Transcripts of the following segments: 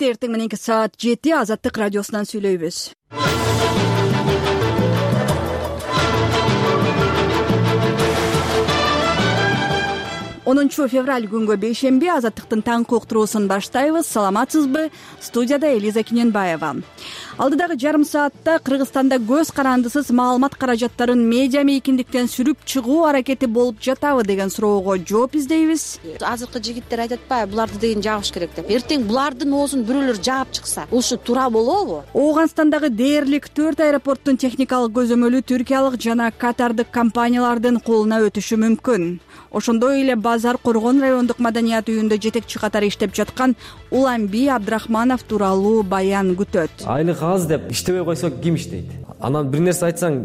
албетте эртең мененки саат 7 Азаттык радиосунан сүйлөйбүз. 10 февраль күнгө бейшемби Азаттыктын таңкы уктуруусун баштайбыз. Саламатсызбы? Студияда Элиза Киненбаева. Алдыдагы жарым саатта Кыргызстанда көз карандысыз маалымат каражаттарын медиа мейкиндиктен сүрүп чыгуу аракети болуп жатабы деген суроого жооп издейбиз. Азыркы жигиттер айтат атпайбы, буларды деген жабыш керек деп. Эртең булардын оозун бирөөлөр жаап чыкса, ушул туура болобу? Ооганстандагы дээрлик 4 аэропорттун техникалык көзөмөлү түркиялык жана катардык компаниялардын колуна өтүшү мүмкүн. Ошондой эле Базар Коргон райондук маданият үйүндө жетекчи катары иштеп жаткан Уланби Абдрахманов тууралуу баян күтөт. Айлык аз деп иштебей койсо ким иштейт? Анан бир нерсе айтсаң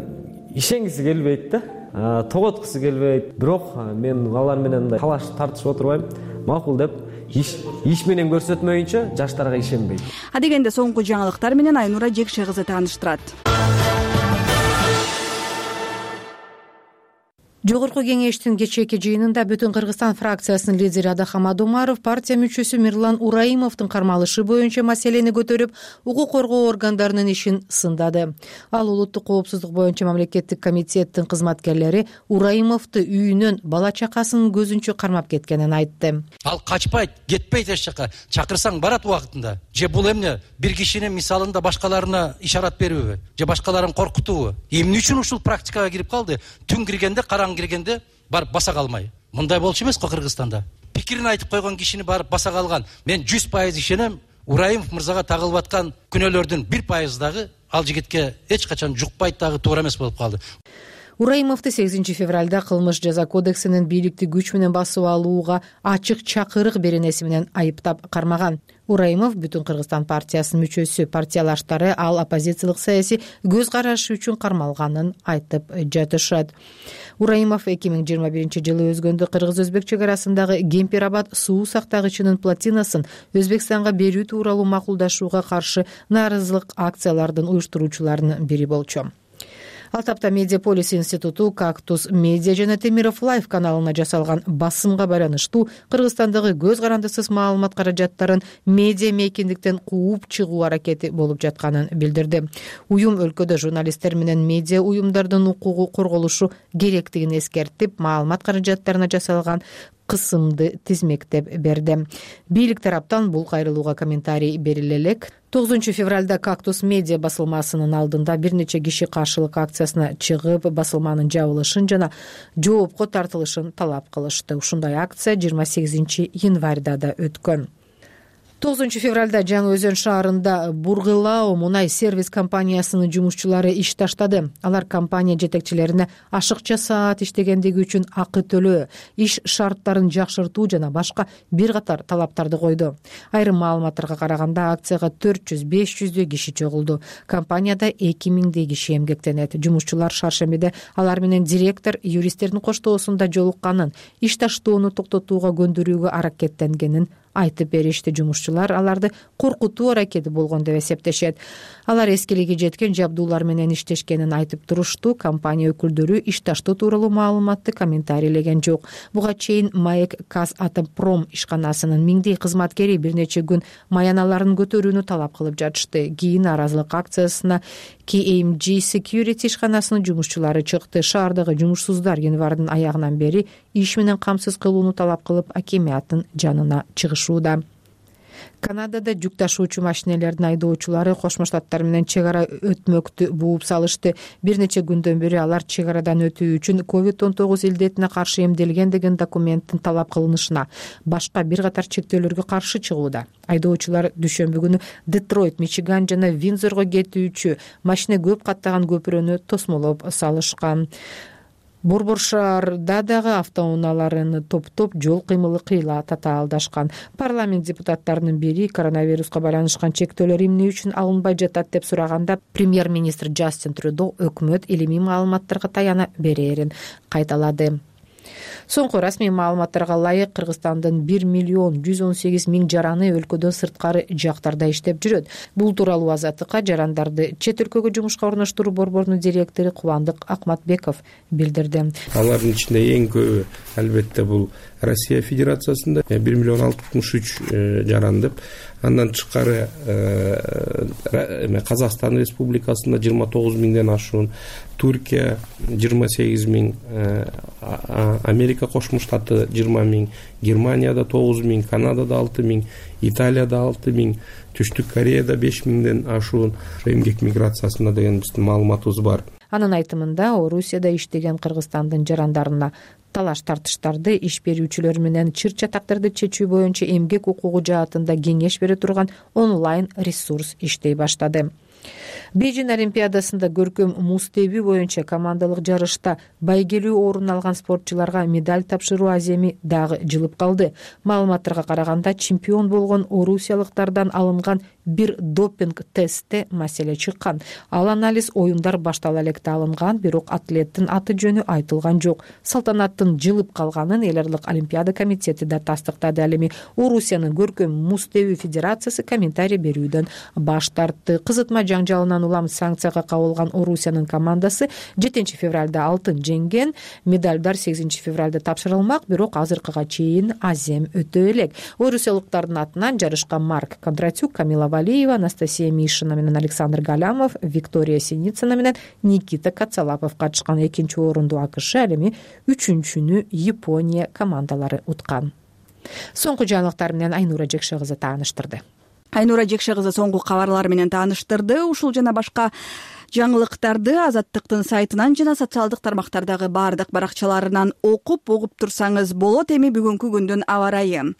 ишенгиси келбейт да, тоготкусу келбейт. Бирок мен алар менен мындай талаш тартышып отурбайм. Макул деп иш менен көрсөтмөйүнчө жаштарга ишенбейт. Дегенде соңку жаңылыктар менен Айнура Жекше кызы тааныштырат. Жогорку кеңештин кечээки жыйынында Бүтүн Кыргызстан фракциясынын лидери Адахам Адомаров партия мүчөсү Мирлан Ураимовдун кармалышы боюнча маселени көтөрүп, укук коргоо органдарынын ишин сындады. Ал улуттук коопсуздук боюнча мамлекеттик комитеттин кызматкерлери Ураимовду үйүнөн бала чакасынын көзүнчө кармап кеткенин айтты. Ал качпайт, кетпейт эч жака. Чакырсаң барат убактында. Же бул эмне бир кишинин мисалында башкаларына ишарат берүүбү? Же башкаларын коркутуубу? Эмне үчүн ушул практикага кирип калды? Түн киргенде киргенде барып баса калмай. Мындай болчу эмес го Кыргызстанда. Пикирин айтып койгон кишини барып баса калган. Мен 100% ишенем, Ураимов мырзага тагылып аткан күнөөлөрдүн 1% дагы ал жигитке эч качан жукпайт, дагы туура эмес болуп калды. Ураимовду 8 февралда кылмыш жаза кодексинин бийликти күч менен басып алууга ачык чакырык беренеси менен айыптап кармаган. Ураимов Бүтүн Кыргызстан партиясынын мүчөсү, партиялаштары ал оппозициялык саясий көз карашы үчүн кармалганын айтып жатышат. Ураимов 2021 жылы өзгөндө Кыргыз-Өзбек чек арасындагы Кемпир-Абад суу сактагычынын плотинасын Өзбекстанга берүү тууралуу макулдашууга каршы нааразылык акциялардын уюштуруучуларынын бири болчу. Ал тапта Медиаполис институту Кактус Медиа жана Темиров Лайф каналына жасалган басымга байланыштуу Кыргызстандагы көз карандысыз маалымат каражаттарын медиа мейкиндиктен кууп чыгуу аракети болуп жатканын билдирди. Уюм өлкөдө журналисттер менен медиа уюмдардын укугу корголушу керектигин эскертип, маалымат каражаттарына жасалган кысымды тизмектеп берди. Бийлик тараптан бул кайрылууга комментарий бериле элек. 9 февралда Кактус Медиа басылмасынын алдында бир нече киши каршылык акциясына чыгып, басылманын жабылышын жана жоопко тартылышын талап кылышты. Ушундай акция 28 январда да өткөн. 9 февралда Жаңы Өзөн шаарында Бургылао мунай сервис компаниясынын жумушчулары иш таштады. Алар компания жетекчилерине ашыкча саат иштегендиги үчүн акы төлөө, иш шарттарын жакшыртуу жана башка бир катар талаптарды койду. Айрым маалыматтарга караганда акцияга 400-500 киши чогулду. Компанияда 2000 киши эмгектенет. Жумушчулар шаршембиде алар менен директор юристтердин коштоосунда жолукканын, иш таштоону токтотууга көндүрүүгө аракеттенгенин айтып беришти. Жумушчулар аларды коркутуу аракети болгон деп эсептешет. Алар эскилиги жеткен жабдуулар менен иштешкенин айтып турушту. Компания өкүлдөрү иш таштоо тууралуу маалыматты комментарийлеген жок. Буга чейин Маек Казатомпром ишканасынын миңдей кызматкери бир нече күн маяналарын көтөрүүнү талап кылып жатышты. Кийин нааразылык акциясына KMG Security ишканасынын жумушчулары чыкты. Шаардагы жумушсуздар январдын аягынан бери иш менен камсыз кылууну талап кылып, акимияттын жанына чыгышууда. Канадада жүк ташуучу машинелердин айдоочулары Кошмо Штаттар менен чек ара өтмөктү бууп салышты. Бир нече күндөн бери алар чек арадан өтүү үчүн COVID-19 илдетине каршы эмделген деген документтин талап кылынышына, башка бир катар чектөөлөргө каршы чыгууда. Айдоочулар дүйшөмбү күнү Детройт, Мичиган жана Виндзорго кетүүчү машина көп каттаган көпүрөнү тосмолоп салышкан. Борбор шаарда дагы автоунааларын топтоп жол кыймылы кыйла татаалдашкан. Парламент депутаттарынын бири коронавируска байланышкан чектөөлөр эмне үчүн алынбай жатат деп сураганда, премьер-министр Джастин Трюдо өкмөт илимий маалыматтарга таяна берерин кайталады. Соңку расмий маалыматтарга ылайык Кыргызстандын 1,118,000 жараны өлкөдөн сырткары жактарда иштеп жүрөт. Бул тууралуу Азаттыкка жарандарды чет өлкөгө жумушка орноштуруу борборунун директору Кубандык Акматбеков билдирди. Алардын ичинде эң көбү албетте бул Россия Федерациясында 1,663,000 жаран деп, Андан тышкары Казакстан Республикасында 29 миңден ашуун, Түркия 28 миң, Америка Кошмо Штаты 20 миң, Германияда 9 миң, Канадада 6 миң, Италияда 6 миң, Түштүк Кореяда 5 миңден ашуун эмгек миграциясында деген биздин маалыматыбыз бар. Анын айтымында Орусияда иштеген Кыргызстандын жарандарына талаш тартыштарды, иш берүүчүлөр менен чыр чатактарды чечүү боюнча эмгек укугу жаатында кеңеш бере турган онлайн ресурс иштей баштады. Бейжин Олимпиадасында көркөм муз тебүү боюнча командалык жарышта байгелүү орун алган спортчуларга медаль тапшыруу аземи дагы жылып калды. Маалыматтарга караганда, чемпион болгон орусиялыктардан алынган бир допинг тестте маселе чыккан. Ал анализ оюндар баштала электе алынган, бирок атлеттин аты жөнү айтылган жок. Салтанаттын жылып калганын Эл аралык Олимпиада комитети да тастыктады. Ал эми Орусиянын көркөм муз тебүү федерациясы комментарий берүүдөн баш тартты. Кызытма жаңжалынан улам санкцияга кабылган Орусиянын командасы 7 февралда алтын жеңген. Медальдар 8 февралда тапшырылмак, бирок азыркыга чейин азем өтө элек. Орусиялыктардын атынан жарышка Марк Кондратюк, Камила Валиева, Анастасия Мишина менен Александр Галямов, Виктория Синицына менен Никита Кацалапов катышкан. Экинчи орунду АКШ, ал эми үчүнчүнү Япония командалары уткан. Соңку жаңылыктар менен Айнура Жекше кызы тааныштырды. Айнура Жекше кызы соңку кабарлар менен тааныштырды. Ушул жана башка жаңылыктарды Азаттыктын сайтынан жана социалдык тармактардагы баардык баракчаларынан окуп угуп турсаңыз болот. Эми бүгүнкү күндүн аба ырайы.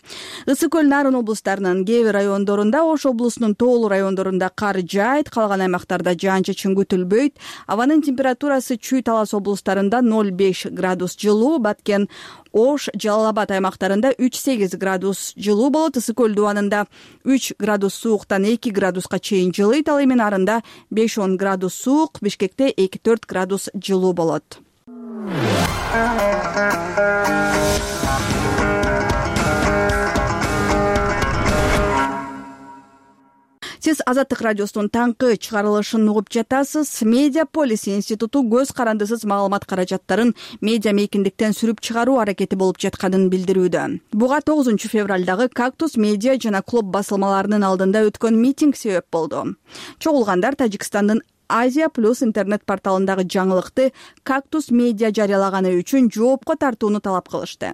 Ысык көл Нарын облустарынын кээ бир райондорунда, Ош облусунун тоолуу райондорунда кар жаайт, калган аймактарда жаан-чачын күтүлбөйт. Абанын температурасы Чүй, Талас облустарында 0,5 градус жылуу, Баткен, Ош, Жалал Абад аймактарында 3,8 градус жылуу болот. Ысык көл дубанында 3 градус сууктан 2 градуска чейин жылыйт. Ал эми Нарында 5-10 градус суук, Бишкекте 2-4 градус жылуу болот. Сиз Азаттык радиосунун таңкы чыгарылышын угуп жатасыз. Медиаполис институту көз карандысыз маалымат каражаттарын медиа мейкиндиктен сүрүп чыгаруу аракети болуп жатканын билдирүүдө. Буга 9 февралдагы Кактус медиа жана клуб басылмаларынын алдында өткөн митинг себеп болду. Чогулгандар Тажикстандын Азия Плюс интернет порталындагы жаңылыкты Кактус медиа жарыялаганы үчүн жоопко тартууну талап кылышты.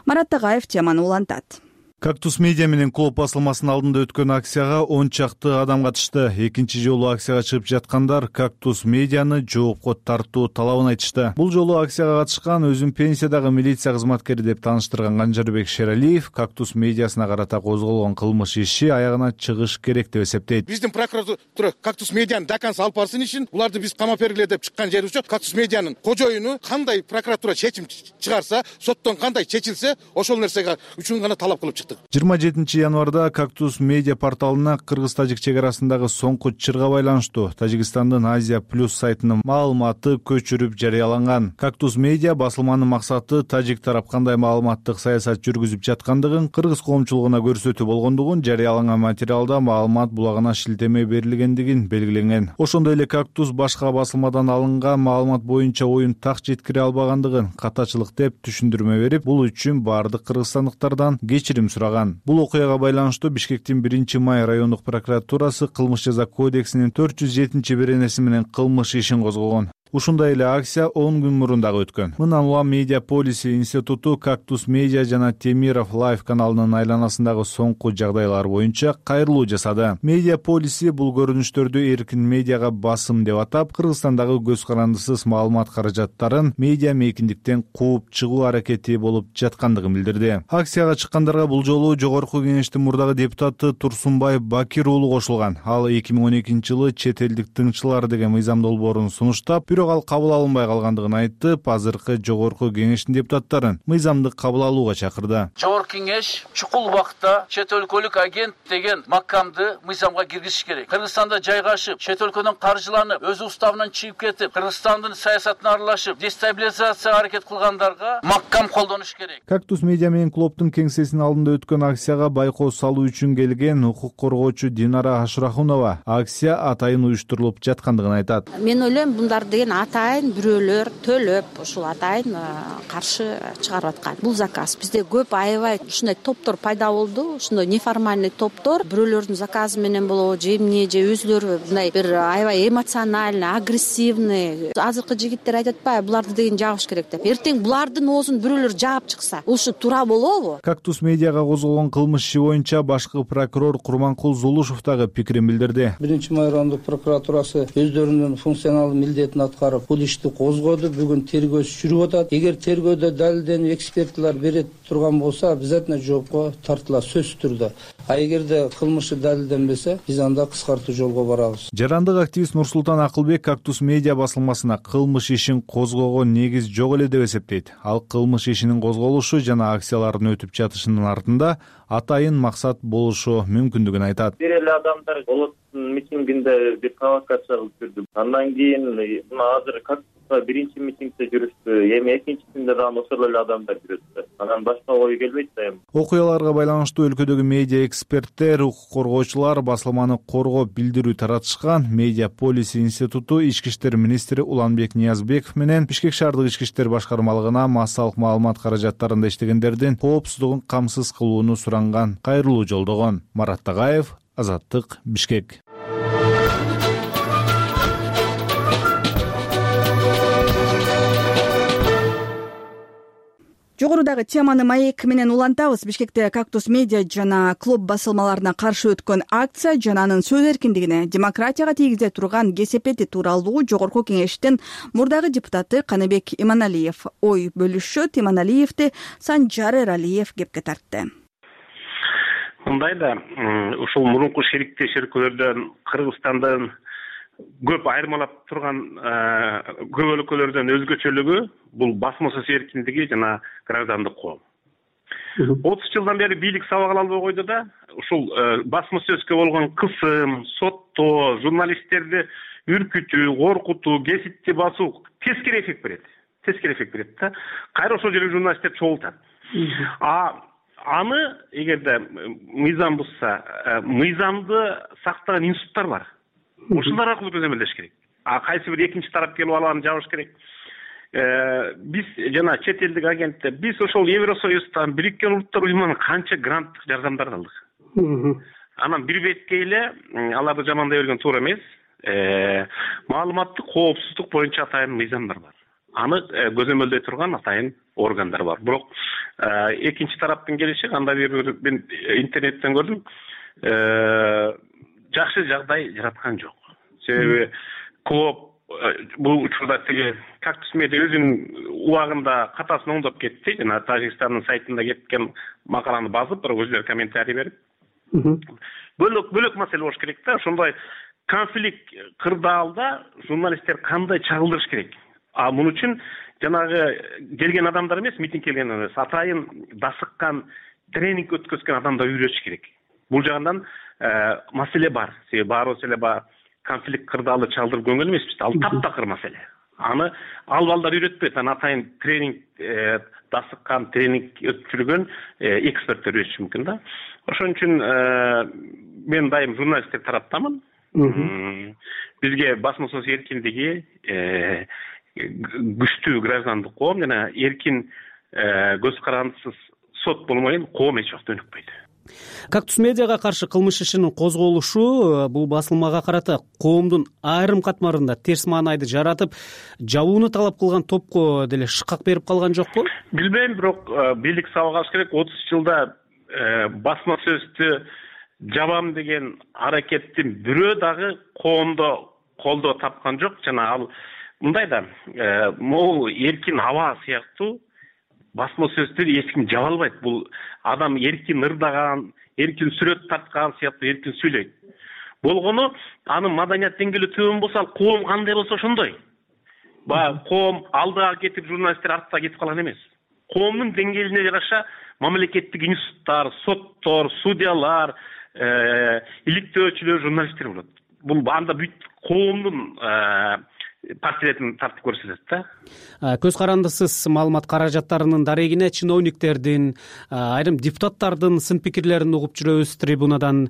Марат Тагаев теманы улантат. Кактус медиа менен клуб басылмасынын алдында өткөн акцияга 10 чакты адам катышты. Экинчи жолу акцияга чыгып жаткандар Кактус медианы жоопко тартуу талабын айтышты. Бул жолу акцияга катышкан өзүн пенсиядагы милиция кызматкери деп тааныштырган Канжарбек Шералиев Кактус медиасына карата козголгон кылмыш иши аягына чыгыш керек деп эсептейт. Биздин прокуратура Кактус медианы до конца алып барсын ишин, уларды биз камап бергиле деп чыккан жерибиз жок. Кактус медианын кожоюну кандай прокуратура чечим чыгарса, соттон кандай чечилсе, ошол нерсеге үчүн гана талап кылып 27 январда Кактус медиа порталына кыргыз-тажик чек арасындагы соңку чырга байланыштуу Тажикстандын Азия Плюс сайтынын маалыматы көчүрүп жарыяланган. Кактус медиа басылманын максаты тажик тарап кандай маалыматтык саясат жүргүзүп жаткандыгын, кыргыз коомчулугуна көрсөтүү болгондугун, жарыяланган материалда маалымат булагына шилтеме берилгендигин белгиленген. Ошондой эле Кактус башка басылмадан алынган маалымат боюнча оюн так жеткире албагандыгын катачылык деп түшүндүрмө берип, бул үчүн баардык кыргызстандыктардан кечирим сураган. Бул окуяга байланыштуу Бишкектин 1-май райондук прокуратурасы кылмыш жаза кодексинин 407-беренеси менен кылмыш ишин козгогон. Ушундай эле акция 10 күн мурун дагы өткөн. Мындан улам Медиаполис институту Кактус медиа жана Темиров лайв каналынын айланасындагы соңку жагдайлар боюнча кайрылуу жасады. Медиаполиси бул көрүнүштөрдү эркин медиага басым деп атап, Кыргызстандагы көз карандысыз маалымат каражаттарын медиа мейкиндиктен кууп чыгуу аракети болуп жаткандыгын билдирди. Акцияга чыккандарга бул жолу Жогорку Кеңештин мурдагы депутаты Турсунбай Бакир уулу кошулган. Ал 2012-жылы чет элдик тыңчылар деген мыйзам долбоорун сунуштап, бирок ал кабыл алынбай калгандыгын айтып, азыркы Жогорку Кеңештин депутаттарын мыйзамды кабыл алууга чакырды. Жогорку Кеңеш чукул убакытта чет өлкөлүк агент деген макамды мыйзамга киргизиш керек. Кыргызстанда жайгашып, чет өлкөдөн каржыланып, өз уставынан чыгып кетип, Кыргызстандын саясатына аралашып, дестабилизацияга аракет кылгандарга макам колдонуш керек. Кактус медиа менен клубтун кеңсесинин алдында өткөн акцияга байкоо салуу үчүн келген укук коргоочу Динара Ашрахунова акция атайын уюштурулуп жаткандыгын айтат. Мен ойлойм, мындар деген деген атайын бирөөлөр төлөп ушул атайын каршы чыгарып аткан. Бул заказ бизде көп аябай ушундай топтор пайда болду. Ушундай неформальный топтор бирөөлөрдүн заказы менен болобу, же эмне, же өзүлөрү мындай бир аябай эмоциональный, агрессивный. Азыркы жигиттер айтып атпайбы, буларды деген жабыш керек деп. Эртең булардын оозун бирөөлөр жаап чыкса, ушул туура болобу? Кактус медиага козголгон кылмыш иши боюнча башкы прокурор Курманкул Зулушев дагы пикирин билдирди. 1-Май райондук прокуратурасы өздөрүнүн функционалдуу милдетин аткарып, бул ишти козгоду. Бүгүн тергөө жүрүп атат. Эгер тергөөдө далилденип экспертилер бере турган болсо, обязательно жоопко тартылат сөзсүз түрдө. А эгерде кылмышы далилденбесе, биз анда кыскартуу жолго барабыз. Жарандык активист Нурсултан Акылбек Кактус медиа басылмасына кылмыш ишин козгоого негиз жок эле деп эсептейт. Ал кылмыш ишинин козголушу жана акциялардын өтүп жатышынын артында атайын максат болушу мүмкүндүгүн айтат. Бир эле адамдар Болоттун митингинде бир провокация кылып жүрдү. Андан кийин мына азыр Кактуска 1-митингде жүрүштү. Эми экинчисинде дагы ошол эле адамдар жүрөт. Анан башка ой келбейт да эми. Окуяларга байланыштуу өлкөдөгү медиа эксперттер, укук коргоочулар басылманы коргоп билдирүү таратышкан. Медиа полиси институту ички иштер министри Уланбек Ниязбеков менен Бишкек шаардык ички иштер башкармалыгына массалык маалымат каражаттарында иштегендердин коопсуздугун камсыз кылууну суранган кайрылуу жолдогон. Марат Тагаев, Азаттык, Бишкек. Жогорудагы теманы маек менен улантабыз. Бишкекте Кактус медиа жана клуб басылмаларына каршы өткөн акция жана анын сөз эркиндигине, демократияга тийгизе турган кесепети тууралуу Жогорку Кеңештин мурдагы депутаты Каныбек Иманалиев ой бөлүшөт. Иманалиевди Санжар Эралиев кепке тартты. Мындай да, ушул мурунку шериктеш өлкөлөрдөн Кыргызстандын көп айырмалап турган көп өлкөлөрдөн өзгөчөлүгү бул басма сөз эркиндиги жана граждандык коом. 30 жылдан бери бийлик сабак албай койду да, ушул басма сөзгө болгон кысым, соттоо, журналисттерди үркүтүү, коркутуу, гезитти басуу тескери эффект берет да. Кайра ошол жерге журналисттер чогултат. Аны эгерде мыйзам бузса, мыйзамды сактаган институттар бар. Ушулар аркылуу көзөмөлдөш керек. Кайсы бир экинчи тарап келип алып жабыш керек. Биз жана чет элдик агенттер, биз ошол Евросоюздан, Бириккен Улуттар уюмунан канча гранттык жардамдар алдык. Анан бир бетке эле аларды жамандай берген туура эмес. Маалыматтык коопсуздук боюнча атайын мыйзамдар бар. Аны көзөмөлдөй турган атайын органдар бар. Бирок экинчи тараптын келиши кандай бир мен интернеттен көрдүм. Жакшы жагдай жараткан жок. Себеби клуб бул учурда тиги Кактус медиа өзүнүн убагында катасын оңдоп кетти. Жана Тажикстандын сайтында кеткен макаланы базып, бирок өзүлөр комментарий берип. Бөлөк маселе болуш керек да. Ошондой конфликт кырдаалда журналисттер кандай чагылдырыш керек? Мун үчүн жанагы келген адамдар эмес, митинг келген эмес, атайын дасыккан, тренинг өткөзгөн адамдар үйрөтүш керек. Бул жагынан маселе бар. Себеби баарыбыз эле конфликт кырдаалды чалдырып көңгөн эмеспиз. Ал таптакыр маселе. Аны ал балдар үйрөтпөйт. Аны атайын тренинг дасыккан, тренинг өткөргөн эксперттер үйрөтүшү мүмкүн да. Ошон үчүн мен дайым журналисттер тараптамын. Бизге басма сөз эркиндиги, күчтүү граждандык коом жана эркин көз карандысыз сот болмойын коом эч убакта өнүкпөйт. Кактус медиага каршы кылмыш ишинин козголушу бул басылмага карата коомдун айрым катмарында терс маанайды жаратып, жабууну талап кылган топко деле шыкак берип калган жокпу? Билбейм, бирок бийлик сабак алыш керек. 30 жылда басма сөздү жабам деген аракеттин бирөө дагы коомдо колдоо тапкан жок. Жана ал мындай да, могул эркин аба сыяктуу басма сөздү эч ким жаба албайт. Бул адам эркин ырдаган, эркин сүрөт тарткан сыяктуу эркин сүйлөйт. Болгону анын маданият деңгээли төмөн болсо, ал коом кандай болсо ошондой. Коом алдыга кетип, журналисттер артта кетип калган эмес. Коомдун деңгээлине жараша мамлекеттик институттар, соттор, судьялар, иликтөөчүлөр, журналисттер болот. Бул анда бүт коомдун партияларын тартып көрсөтөт да. Көз карандысыз маалымат каражаттарынын дарегине чиновниктердин, айрым депутаттардын сын пикирлерин угуп жүрөбүз трибунадан.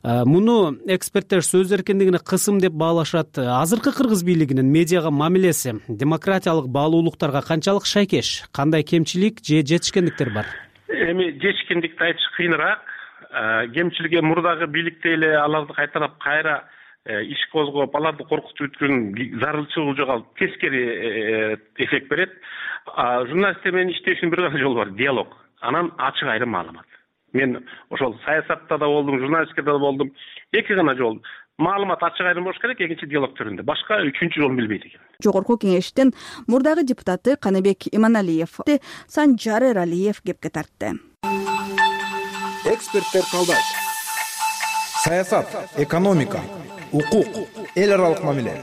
Муну эксперттер сөз эркиндигине кысым деп баалашат. Азыркы кыргыз бийлигинин медиага мамилеси демократиялык баалуулуктарга канчалык шайкеш, кандай кемчилик же жетишкендиктер бар? Эми жетишкендикти айтыш кыйыныраак. Кемчилиги мурдагы бийликте эле аларды кайталап кайра иш козгоп, аларды коркутуп өткөн зарылчылыгы жоголуп, тескери эффект берет. Журналисттер менен иштешүүнүн бир гана жолу бар — диалог, анан ачык айрым маалымат. Мен ошол саясатта да болдум, журналистикада да болдум. Эки гана жол. Маалымат ачык айрым болуш керек, экинчи диалог түрүндө. Башка үчүнчү жолун билбейт экен. Жогорку кеңештин мурдагы депутаты Каныбек Иманалиев Санжар Эралиев кепке тартты. Эксперттер талдайт. Саясат, экономика, укук, эл аралык мамиле,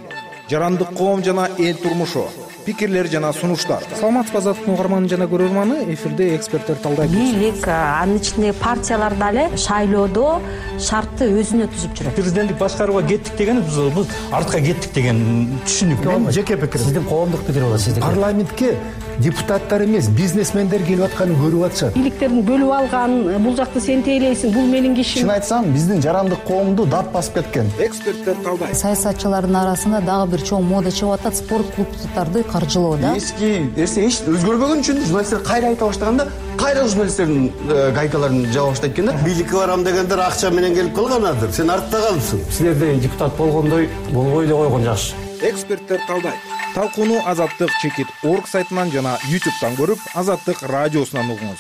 жарандык коом жана эл турмушу, пикирлер жана сунуштар. Саламатсызбы азаттык угарманы жана көрөрманы, эфирде эксперттер талдайт. Бийлик, анын ичинде партиялар дагы шайлоодо шартты өзүнө түзүп жүрөт. Президенттик башкарууга кеттик деген биз артка кеттик деген түшүнүк. Мен жеке пикирим. Сиздин коомдук пикир болот, сиздики. Парламентке депутаттар эмес, бизнесмендер келип атканын көрүп атышат. Бийликтердин бөлүп алган, бул жакты сен тейлейсиң, бул менин кишим. Чын айтсам, биздин жарандык коомду дат басып кеткен. Эксперттер талдайт. Саясатчылардын арасында дагы бир чоң мода чыгып атат, спорт клубдарды каржылоо да. Эски нерсе эч өзгөрбөгөн үчүн журналисттер кайра айта баштаганда, кайра журналисттердин гайкаларын жаба баштайт экен да. Бийликке барам дегендер акча менен келип калганадыр. Сен артта калыпсың. Силерде депутат болгондой болбой эле койгон жакшы. Эксперттер талдайт. Талкууну Азаттык.org сайтынан жана YouTube'дан көрүп, Азаттык радиосунан угуңуз.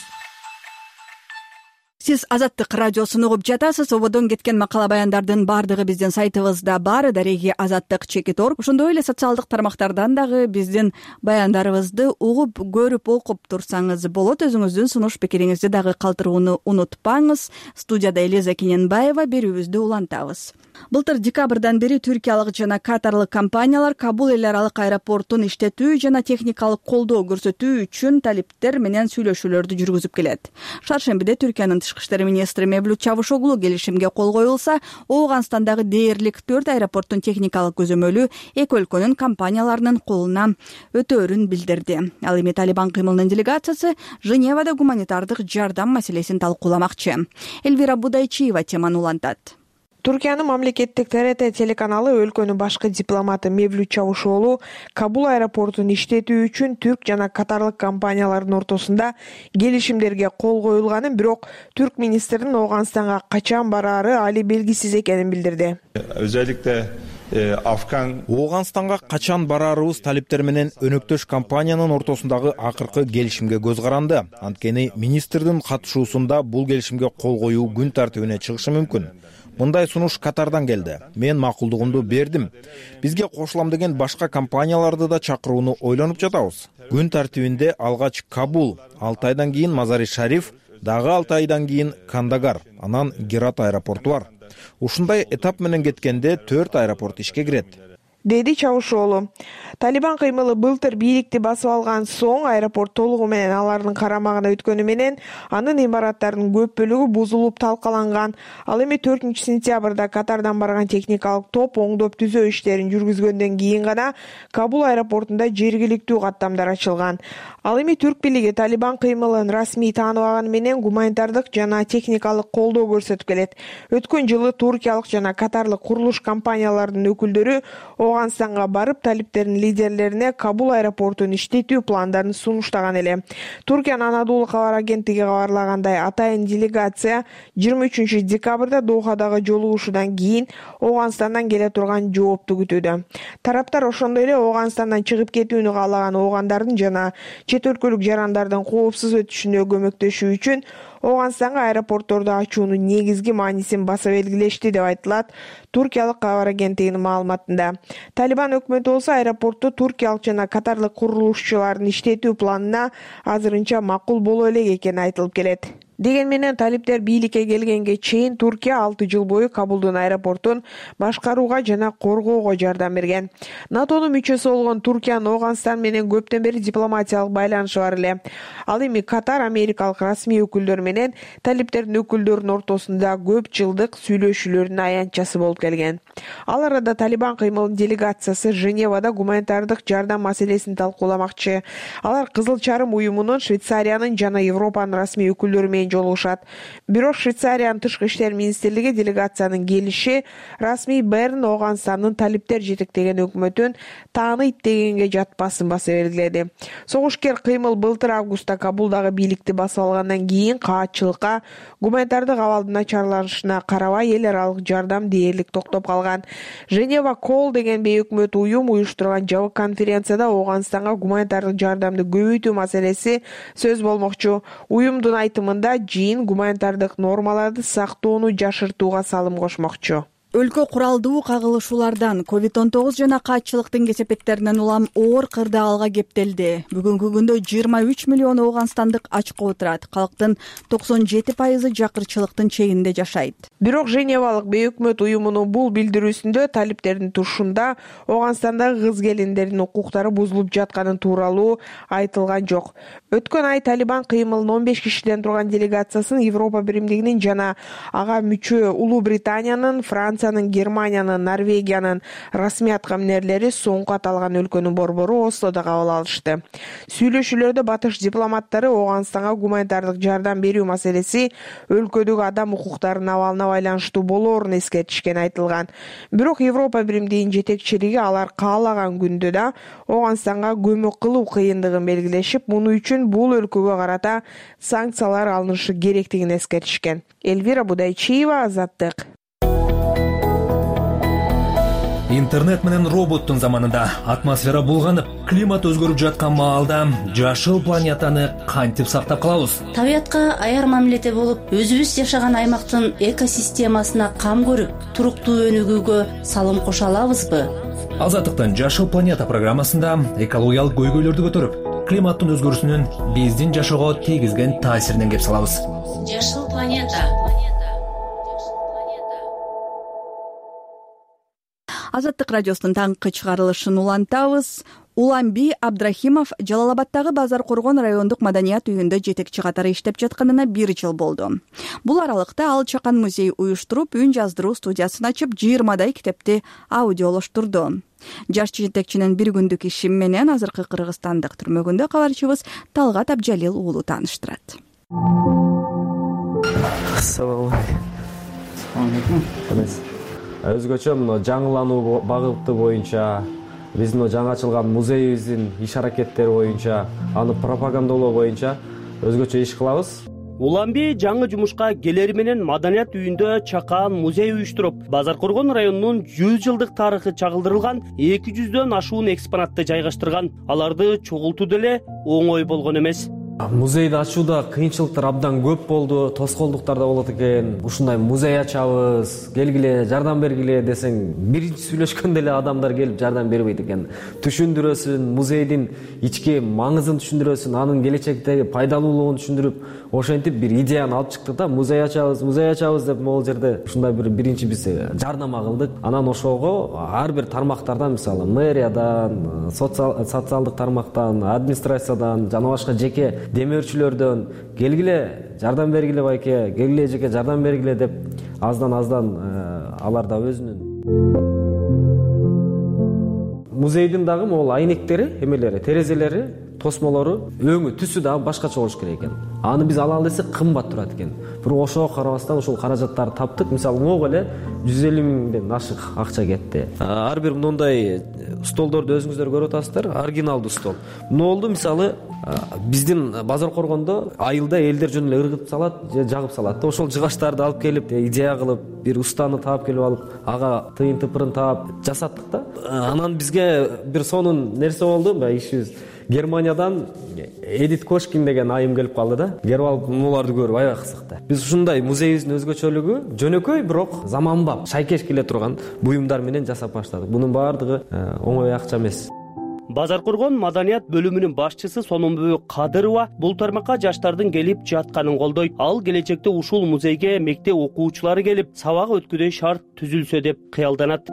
Сиз Азаттык радиосун угуп жатасыз. Ободон кеткен макала баяндардын баардыгы биздин сайтыбызда бар. Дареги Азаттык.org. Ошондой эле социалдык тармактардан дагы биздин баяндарыбызды угуп, көрүп, окуп турсаңыз болот. Өзүңүздүн сунуш пикириңизди дагы калтырууну унутпаңыз. Студияда Элиза Киненбаева, берүүбүздү улантабыз. Былтыр декабрдан бери түркиялык жана катарлык компаниялар Кабул эл аралык аэропортун иштетүү жана техникалык колдоо көрсөтүү үчүн талиптер менен сүйлөшүүлөрдү жүргүзүп келет. Шаршембиде Түркиянын тышкы иштер министри Мевлют Чавушоглу келишимге кол коюлса, Ооганстандагы дээрлик 4 аэропорттун техникалык көзөмөлү эки өлкөнүн компанияларынын колуна өтөөрүн билдирди. Ал эми Талибан кыймылынын делегациясы Женевада гуманитардык жардам маселесин талкууламакчы. Элвира Будайчиева теманы улантат. Түркиянын мамлекеттик ТРТ телеканалы өлкөнүн башкы дипломаты Мевлют Чавушоглу Кабул аэропортун иштетүү үчүн түрк жана катарлык компаниялардын ортосунда келишимдерге кол коюлганын, бирок түрк министринин Ооганстанга качан бараары али белгисиз экенин билдирди. Ооганстанга качан бараарыбыз талиптер менен өнөктөш компаниянын ортосундагы акыркы келишимге көз каранды. Анткени министрдин катышуусунда бул келишимге кол коюу күн тартибине чыгышы мүмкүн. Мындай сунуш Катардан келди. Мен макулдугумду бердим. Бизге кошулам деген башка компанияларды да чакырууну ойлонуп жатабыз. Күн тартибинде алгач Кабул, 6 айдан кийин Мазари Шариф, дагы 6 айдан кийин Кандагар, анан Герат аэропорту бар. Ушундай этап менен кеткенде 4 аэропорт ишке кирет, деди Чавушоглу. Талибан кыймылы былтыр бийликти басып алган соң аэропорт толугу менен алардын карамагына өткөнү менен анын имараттарынын көп бөлүгү бузулуп талкаланган. Ал эми 4-сентябрда Катардан барган техникалык топ оңдоп түзөө иштерин жүргүзгөндөн кийин гана Кабул аэропортунда жергиликтүү каттамдар ачылган. Ал эми түрк бийлиги Талибан кыймылын расмий тааныбаганы менен гуманитардык жана техникалык колдоо көрсөтүп келет. Өткөн жылы туркиялык жана катарлык курулуш компанияларынын өкүлдөрү Ооганстанга барып, талиптердин лидерлерине Кабул аэропортун иштетүү пландарын сунуштаган эле. Туркиянын Анадолу кабар агенттиги кабарлагандай, атайын делегация 23 декабрда Дохадагы жолугушуудан кийин Ооганстандан келе турган жоопту күтүүдө. Тараптар ошондой эле Ооганстандан чыгып кетүүнү каалаган оогандардын жана чет өлкөлүк жарандардын коопсуз өтүшүнө көмөктөшүү үчүн Ооганстанга аэропортторду ачуунун негизги маанисин баса белгилешти деп айтылат туркиялык кабар агенттигинин маалыматында. Талибан өкмөтү болсо аэропортту туркиялык жана катарлык курулушчулардын иштетүү планына азырынча макул боло элек экени айтылып келет. Деген менен талиптер бийликке келгенге чейин Туркия 6 жыл бою Кабулдун аэропортун башкарууга жана коргоого жардам берген. НАТОнун мүчөсү болгон Туркиянын Ооганстан менен көптөн бери дипломатиялык байланышы бар эле. Ал эми Катар америкалык расмий өкүлдөр менен талиптердин өкүлдөрүнүн ортосунда көп жылдык сүйлөшүүлөрдүн аянтчасы болуп келген. Ал арада Талибан кыймылынын делегациясы Женевада гуманитардык жардам маселесин талкууламакчы. Алар Кызыл Чарым уюмунун, Швейцариянын жана Европанын расмий өкүлдөрү менен менен жолугушат. Бирок Швейцариянын тышкы иштер министрлиги делегациянын келиши расмий Берн Ооганстандын талиптер жетектеген өкмөтүн тааныйт дегенге жатпасын баса белгиледи. Согушкер кыймыл былтыр августта Кабулдагы бийликти басып алгандан кийин каатчылыкка, гуманитардык абалдын начарланышына карабай эл аралык жардам дээрлик токтоп калган. Женева Кол деген бейөкмөт уюм уюштурган жабык конференцияда Ооганстанга гуманитардык жардамды көбөйтүү маселеси сөз болмокчу. Уюмдун айтымында жыйын гуманитардык нормаларды сактоону жашыртууга салым кошмокчу. Өлкө куралдуу кагылышуулардан, COVID-19 жана каатчылыктын кесепеттеринен улам оор кырдаал алга кептелди. Бүгүнкү күндө 23 миллион ооганстандык ачка отурат. Калктын 97% жакырчылыктын чегинде жашайт. Бирок Женевалык бейөкмөт уюмунун бул билдирүүсүндө талиптердин тушунда Ооганстандагы кыз келиндердин укуктары бузулуп жатканы тууралуу айтылган жок. Өткөн ай Талибан кыймылынын 15 кишиден турган делегациясын Европа Биримдигинин жана ага мүчө Улуу Британиянын, Франциянын, Германиянын, Норвегиянын расмий аткаминерлери соңку аталган өлкөнүн борбору Ослодо кабыл алышты. Сүйлөшүүлөрдө батыш дипломаттары Ооганстанга гуманитардык жардам берүү маселеси өлкөдөгү адам укуктарынын абалына байланыштуу болоорун эскертишкен айтылган. Бирок Европа Биримдигинин жетекчилиги алар каалаган күндө да Ооганстанга көмөк кылуу кыйындыгын белгилешип, муну үчүн бул өлкөгө карата санкциялар алынышы керектигин эскертишкен. Эльвира Будайчиева, Азаттык. Интернет менен роботтун заманында атмосфера булганып, климат өзгөрүп жаткан маалда жашыл планетаны кантип сактап калабыз? Табиятка аяр мамиледе болуп, өзүбүз жашаган аймактын экосистемасына кам көрүп, туруктуу өнүгүүгө салым кошо алабызбы? Азаттыктын Жашыл планета программасында экологиялык көйгөйлөрдү көтөрүп, климаттын өзгөрүүсүнүн биздин жашоого тийгизген таасиринен кеп салабыз. Жашыл планета. Азаттык радиосунун таңкы чыгарылышын улантабыз. Уламби Абдрахимов Жалалабадтагы Базар Коргон райондук маданият үйүндө жетекчи катары иштеп жатканына 1 жыл болду. Бул аралыкта ал Чакан музей уюштуруп, үн жаздыруу студиясын ачып, 20дай китепти аудиолоштурду. Жаш жетекчинин бир күндүк иши менен азыркы кыргызстандык түрмөгүндө кабарчыбыз Талгат Абджалил уулу тааныштырат. Assalomu алейкум. Өзгөчө мына жаңылануу багыты боюнча, биздин жаңы ачылган музейибиздин иш аракеттери боюнча, аны пропагандалоо боюнча өзгөчө иш кылабыз. Уламби жаңы жумушка келери менен маданият үйүндө Чакан музей уюштуруп, Базар Коргон районунун 100 жылдык тарыхы чагылдырылган 200дөн ашуун экспонатты жайгаштырган. Аларды чогултуу деле оңой болгон эмес. Музейди ачууда кыйынчылыктар абдан көп болду, тоскоолдуктар да болот экен. Ушундай музей ачабыз, келгиле, жардам бергиле десең, биринчи сүйлөшкөндө эле адамдар келип жардам бербейт экен. Түшүндүрөсүн, музейдин ички маңызын түшүндүрөсүн, анын келечектеги пайдалуулугун түшүндүрүп, ошентип бир идеяны алып чыктык да, музей ачабыз деп могул жерде ушундай биринчи биз жардама кылдык. Анан ошого ар бир тармактардан, мисалы, мэриядан, социалдык тармактан, администрациядан жана башка жеке демөөрчүлөрдөн келгиле, жардам бергиле байке, келгиле жеке жардам бергиле деп аздан алар да өзүнүн музейдин дагы могул айнектери, эмелери, терезелери, тосмолору, өңү, түсү да башкача болуш керек экен. Аны биз алалы десек кымбат турат экен. Бирок ошого карабастан ушул каражаттарды таптык. Мисалы, могу эле 150 миңден ашык акча кетти. Ар бир мындай столдорду өзүңүздөр көрүп атасыздар, оригиналдуу стол. Эмне болду? Мисалы, биздин Базар Коргондо айылда элдер жөн эле ыргытып салат, же жагып салат да. Ошол жыгачтарды алып келип, идея кылып, бир устаны таап келип алып, ага тыйын тыпырын таап жасаттык да. Анан бизге бир сонун нерсе болду, ишибиз. Германиядан Эдит Кошкин деген айым келип калды да. Келип алып муларды көрүп аябай кызыкты. Биз ушундай музейибиздин өзгөчөлүгү жөнөкөй, бирок заманбап, шайкеш келе турган буюмдар менен жасап баштадык. Бунун баардыгы оңой акча эмес. Базар Коргон маданият бөлүмүнүн башчысы Сономбү Кадырова бул тармакка жаштардын келип жатканын колдойт. Ал келечекте ушул музейге мектеп окуучулары келип, сабак өткүдөй шарт түзүлсө деп кыялданат.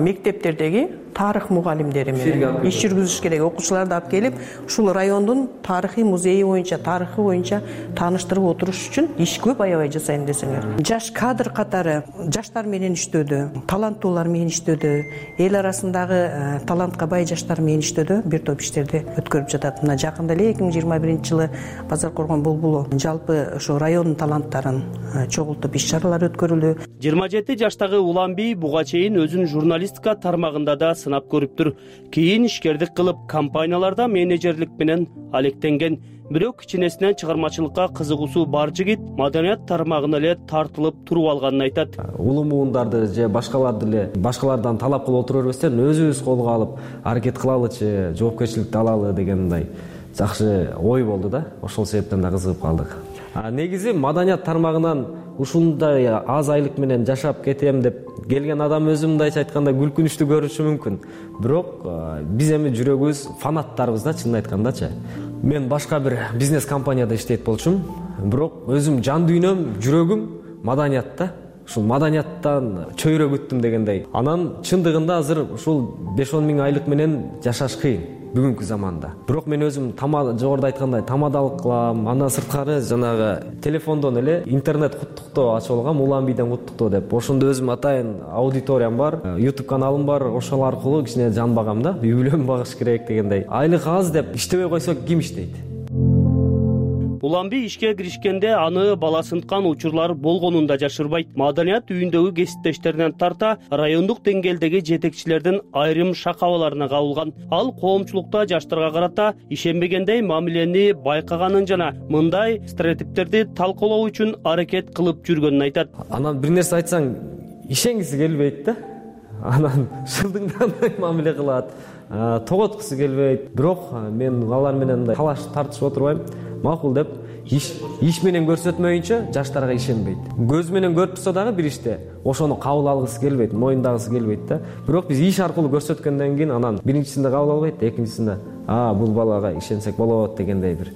Мектептердеги тарых мугалимдери менен иш жүргүзүш керек. Окуучуларды алып келип, ушул райондун тарыхый музейи боюнча, тарыхы боюнча тааныштырып отуруш үчүн иш көп аябай жасайм десеңер. Жаш кадр катары жаштар менен иштөөдө, таланттуулар менен иштөөдө, эл арасындагы талантка бай жаштар менен иштөөдө бир топ иштерди өткөрүп жатат. Мына жакында эле 2021-жылы Базар Коргон Булбулу жалпы ошо райондун таланттарын чогултуп иш чаралар өткөрүлдү. 27 жаштагы Уланбий буга чейин өзүн журналистика тармагында да сынап көрүптүр. Кийин ишкердик кылып, компанияларда менеджерлик менен алектенген. Бирок кичинесинен чыгармачылыкка кызыгуусу бар жигит маданият тармагына эле тартылып туруп алганын айтат. Улуу муундарды же башкаларды эле башкалардан талап кылып отура бербестен өзүбүз колго алып аракет кылалычы, жоопкерчиликти алалы дегендей жакшы ой болду да. Ошол себептен да кызыгып калдык. Негизи маданият тармагынан ушундай аз айлык менен жашап кетем деп келген адам өзү мындайча айтканда күлкүнүчтүү көрүнүшү мүмкүн. Бирок биз эми жүрөгүбүз фанаттарбыз да, чынын айткандачы. Мен башка бир бизнес компанияда иштейт болчумун, бирок өзүм жан дүйнөм, жүрөгүм маданиятта. Ушул маданияттан чөйрө күттүм дегендей. Анан чындыгында азыр ушул 5-10 миң айлык менен жашаш кыйын бүгүнкү заманда. Бирок мен өзүм жогоруда айткандай тамадалык кылам, андан сырткары жанагы телефондон эле интернет куттуктоо ачып алгам, Уланбийден куттуктоо деп. Ошондо өзүм атайын аудиториям бар, YouTube каналым бар, ошол аркылуу кичине жан багам да, үй бүлөм багыш керек дегендей. Айлык аз деп иштебей койсок ким иштейт? Уланбий ишке киришкенде аны бала сынткан учурлар болгонун да жашырбайт. Маданият үйүндөгү кесиптештеринен тарта райондук деңгээлдеги жетекчилердин айрым шакабаларына кабылган. Ал коомчулукта жаштарга карата ишенбегендей мамилени байкаганын жана мындай стереотиптерди талкуулоо үчүн аракет кылып жүргөнүн айтат. Анан бир нерсе айтсаң ишенгиси келбейт да. Анан шылдыңдандай мамиле кылат, тоготкусу келбейт. Бирок мен алар менен талаш тартышып отурбайм. Макул деп иш менен көрсөтмөйүнчө жаштарга ишенбейт. Көз менен көрүп турса дагы бир иште ошону кабыл алгысы келбейт, моюндагысы келбейт да. Бирок биз иш аркылуу көрсөткөндөн кийин анан биринчисинде кабыл албайт, экинчисинде бул балага ишенсек болот дегендей бир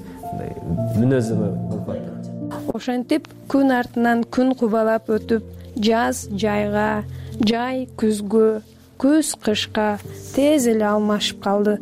мүнөзөмө болуп. Ошентип күн артынан күн кубалап өтүп, жаз жайга, жай күзгө, күз кышка тез эле алмашып калды.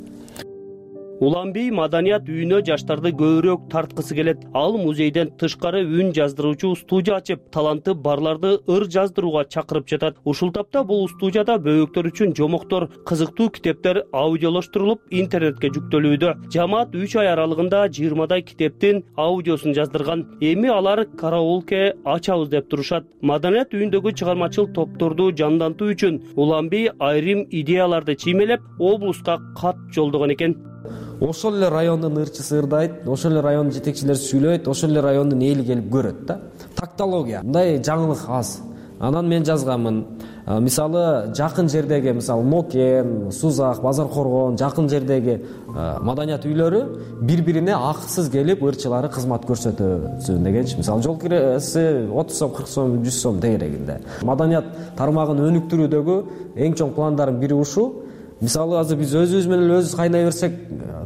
Уланбий маданият үйүнө жаштарды көбүрөөк тарткысы келет. Ал музейден тышкары үн жаздыруучу студия ачып, таланты барларды ыр жаздырууга чакырып жатат. Ушул тапта бул студияда бөбөктөр үчүн жомоктор, кызыктуу китептер аудиолоштурулуп интернетке жүктөлүүдө. Жамаат 3 ай аралыгында 20дай китептин аудиосун жаздырган. Эми алар караолке ачабыз деп турушат. Маданият үйүндөгү чыгармачыл топторду жандантуу үчүн Уланбий айрым идеяларды чиймелеп, облуска кат жолдогон экен. Ошол эле райондун ырчысы ырдайт, ошол эле райондун жетекчилери сүйлөйт, ошол эле райондун эли келип көрөт да. Тактология. Мындай жаңылык аз. Анан мен жазганмын. Мисалы жакын жердеги, мисалы Нокен, Сузак, Базар Коргон, жакын жердеги маданият үйлөрү бири-бирине акысыз келип ырчылары кызмат көрсөтөсүн дегенчи. Мисалы жол киреси 30 сом, 40 сом, 100 сом дегерегинде. Маданият тармагын өнүктүрүүдөгү эң чоң пландардын бири ушул. Мисалы азыр биз өзүбүз менен өзүбүз кайнай берсек,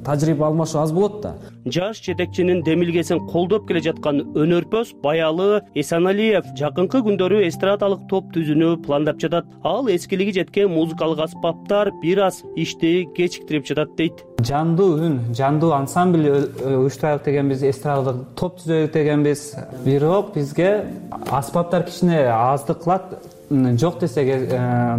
тажрыйба алмашуу аз болот да. Жаш жетекчинин демилгесин колдоп келе жаткан өнөрпөз Баялы Эсаналиев жакынкы күндөрү эстрадалык топ түзүүнү пландап жатат. Ал эскилиги жеткен музыкалык аспаптар бир аз ишти кечиктирип жатат дейт. Жандуу үн, жандуу ансамбль уюштурайлык дегенбиз, эстрадалык топ түзөлүк дегенбиз. Бирок бизге аспаптар кичине аздык кылат. Жок десек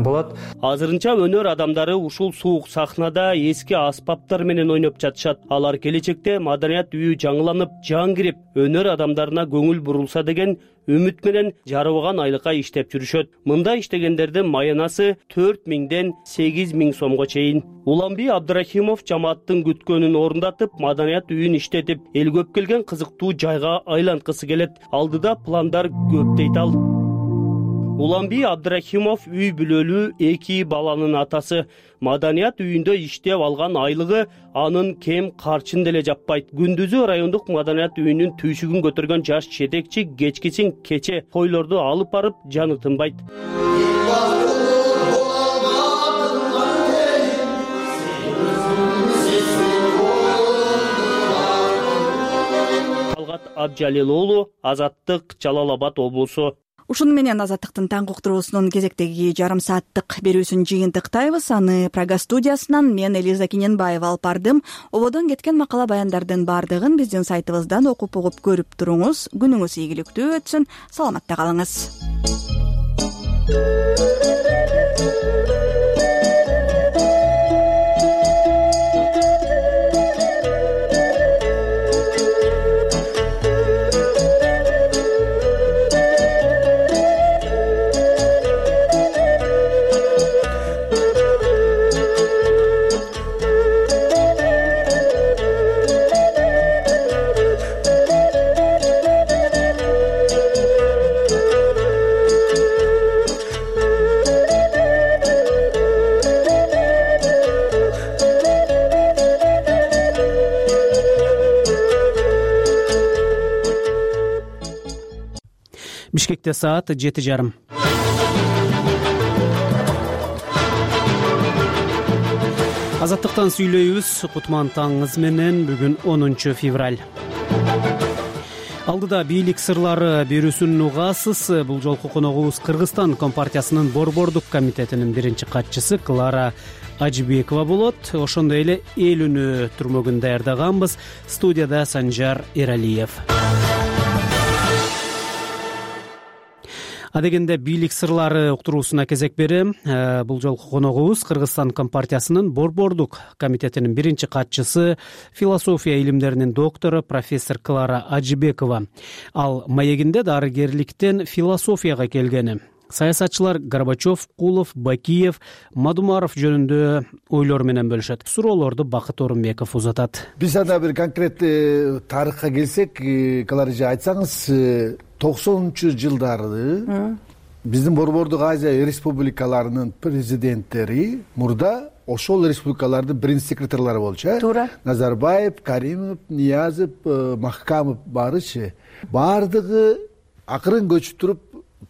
болот. Азырынча өнөр адамдары ушул суук сахнада эски аспаптар менен ойноп жатышат. Алар келечекте маданият үйү жаңыланып, жан кирип, өнөр адамдарына көңүл бурулса деген үмүт менен жарыбаган айлыкка иштеп жүрүшөт. Мында иштегендердин маянасы 4000ден 8000 сомго чейин. Уланбий Абдрахимов жамааттын күткөнүн орундатып, маданият үйүн иштетип, эл көп келген кызыктуу жайга айланткысы келет. Алдыда пландар көп дейт ал. Уланбий Абдрахимов үй бүлөлүү 2 баланын атасы. Маданият үйүндө иштеп алган айлыгы анын кем карчын деле жаппайт. Күндүзү райондук маданият үйүнүн түйшүгүн көтөргөн жаш жетекчи кечкисин кече тойлорду алып барып жаны тынбайт. Талгат Абжалил уулу, Азаттык, Жалал Абад облусу. Ушуну менен Азаттыктын таңкы уктуруусунун кезектеги жарым сааттык берүүсүн жыйынтыктайбыз. Аны Прага студиясынан мен Элиза Киненбаева алып бардым. Ободон кеткен макала баяндардын баардыгын биздин сайтыбыздан окуп угуп көрүп туруңуз. Күнүңүз ийгиликтүү өтсүн. Саламатта калыңыз. Бишкекте саат 7:30. Азаттыктан сүйлөйбүз. Кутман таңыңыз менен. Бүгүн 10 февраль. Алдыда бийлик сырлары берүүсүн угасыз. Бул жолку коногубуз Кыргызстан Компартиясынын Борбордук комитетинин биринчи катчысы Клара Ажибекова болот. Ошондой эле эл үнү түрмөгүн даярдаганбыз. Студияда Санжар Эралиев. Адегенде бийлик сырлары уктуруусуна кезек берем. Бул жолку коногубуз Кыргызстан Компартиясынын Борбордук комитетинин биринчи катчысы, философия илимдеринин доктору профессор Клара Ажибекова. Ал маегинде дарыгерликтен философияга келгени, саясатчылар Горбачев, Кулов, Бакиев, Мадумаров жөнүндө ойлор менен бөлүшөт. Суроолорду Бакыт Орунбеков узатат. Биз анда бир конкреттүү тарыхка келсек, Клара эже айтсаңыз, 90-жылдары биздин Борбордук Азия республикаларынын президенттери мурда ошол республикалардын биринчи секретарлары болчу. Туура. Назарбаев, Каримов, Ниязов, Махкамов барычы. Бардыгы акырын көчүп туруп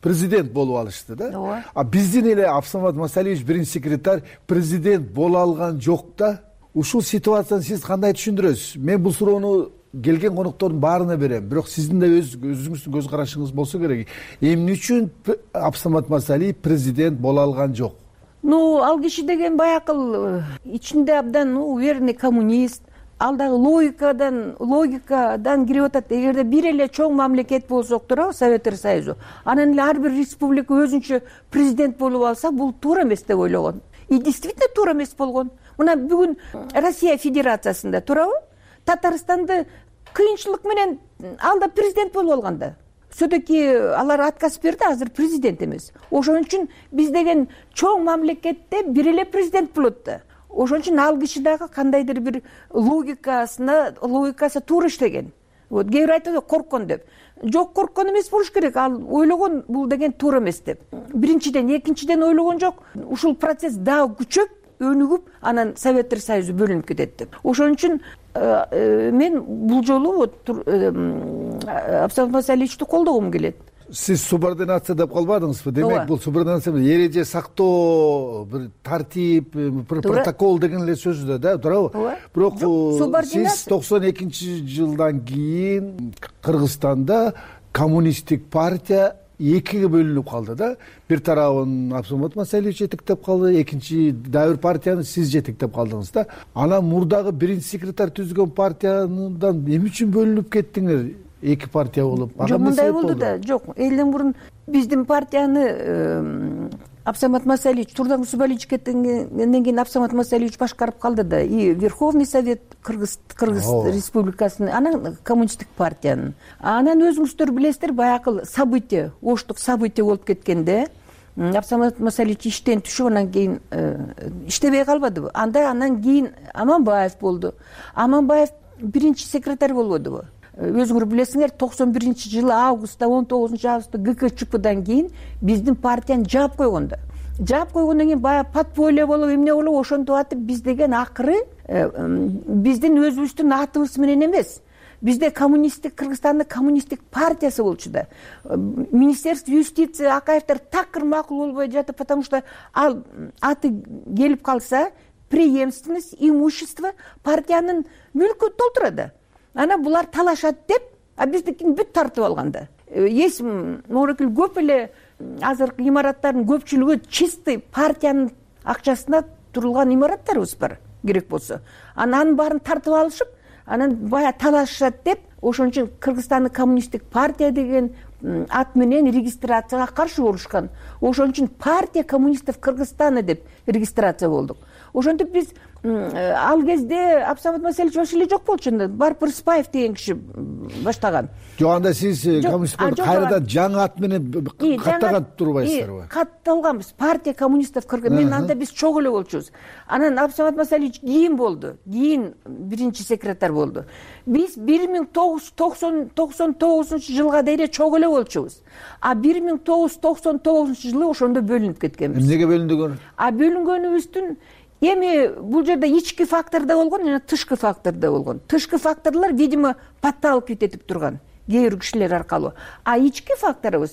президент болуп алышты да. А биздин эле Абсамат Масалиевич биринчи секретарь президент боло алган жок да. Ушул ситуацияны сиз кандай түшүндүрөсүз? Мен бул суроону келген коноктордун баарына берем. Бирок сиздин да өзүңүздүн көз карашыңыз болсо керек. Эмне үчүн Абсамат Масалиев президент боло алган жок? Ал киши деген баякыл ичинде абдан уверенный коммунист. Ал дагы логикадан кирип атат. Эгерде бир эле чоң мамлекет болсок туурабы, Советтер Союзу, анан эле ар бир республика өзүнчө президент болуп алса, бул туура эмес деп ойлогон. И действительно туура эмес болгон. Мына бүгүн Россия Федерациясында туурабы? Татарстанды кыйынчылык менен ал да президент болуп алган да. Все-таки алар отказ берди, азыр президент эмес. Ошон үчүн биз деген чоң мамлекетте бир эле президент болот да. Ошон үчүн ал киши дагы кандайдыр бир логикасы туура иштеген. Вот кээ бир айтат корккон деп. Жок, корккон эмес болуш керек. Ал ойлогон бул деген туура эмес деп. Биринчиден, экинчиден ойлогон жок. Ушул процесс дагы күчөп, өнүгүп, анан Советтер Союзу бөлүнүп кетет деп. Ошон үчүн мен бул жолу Абсамат Масалиевичти колдогум келет. Сиз субординация деп калбадыңызбы? Демек бул субординация эреже сактоо, бир тартип, бир протокол деген эле сөз да, туурабы? Бирок сиз 92-жылдан кийин Кыргызстанда коммунисттик партия экиге бөлүнүп калды да. Бир тарабын Абсамат Масалиевич жетектеп калды, экинчи дагы бир партияны сиз жетектеп калдыңыз да. Анан мурдагы биринчи секретарь түзгөн партиядан эмне үчүн бөлүнүп кеттиңер? Эки партия болуп. Жок, мындай болду да. Жок, элден мурун биздин партияны Абсамат Масалиевич турдан Субалич кеткенден кийин Абсамат Масалиевич башкарып калды да. И Верховный Совет Кыргыз Республикасынын, анан коммунисттик партиянын. Анан өзүңүздөр билесиздер, баякыл событие, оштук событие болуп кеткенде Абсамат Масалиевич иштен түшүп, анан кийин иштебей калбадыбы? Андан кийин Аманбаев болду. Аманбаев биринчи секретарь болбодубу? Өзүңөр билесиңер, 91-жылы августта, 19-августта ГКЧПдан кийин биздин партияны жаап койгондо. Жаап койгондон кийин баягы подполье болуп, эмне болуп, ошентип атып биз деген акыры биздин өзүбүздүн атыбыз менен эмес. Бизде коммунисттик, Кыргызстандын коммунисттик партиясы болчу да. Министерство юстиция Акаевдер такыр макул болбой жатып, потому что ал аты келип калса, преемственность, имущество партиянын мүлкү толтурат да. Анан булар талашат деп, биздикин бүт тартып алганда. моорекил көп эле азыркы имараттардын көпчүлүгү чистый партиянын акчасына турулган имараттарыбыз бар керек болсо. Анын баарын тартып алышып, анан бая талашышат деп, ошон үчүн Кыргызстандын коммунисттик партия деген ат менен регистрацияга каршы болушкан. Ошон үчүн партия коммунистов Кыргызстана деп регистрация болдук. Ошентип биз ал кезде Абсамат Маселич вообще эле жок болчу. Барып Рыспаев деген киши баштаган. Жок, анда сиз коммунист кайрадан жаңы ат менен каттаган турбайсыздарбы? Катталганбыз. Партия коммунистов Кыргыз. Мен анда биз чогуу эле болчубуз. Анан Абсамат Маселич кийин болду. Кийин биринчи секретарь болду. Биз 1999-жылга дейин чогуу эле болчубуз. А 1999-жылы ошондо бөлүнүп кеткенбиз. Эмнеге бөлүндүгөр? А бөлүнгөнүбүздүн эми бул жерде ички фактор да болгон, жана тышкы фактор да болгон. Тышкы факторлор, видимо, подталкивать этип турган кээ бир кишилер аркылуу. А ички фактордо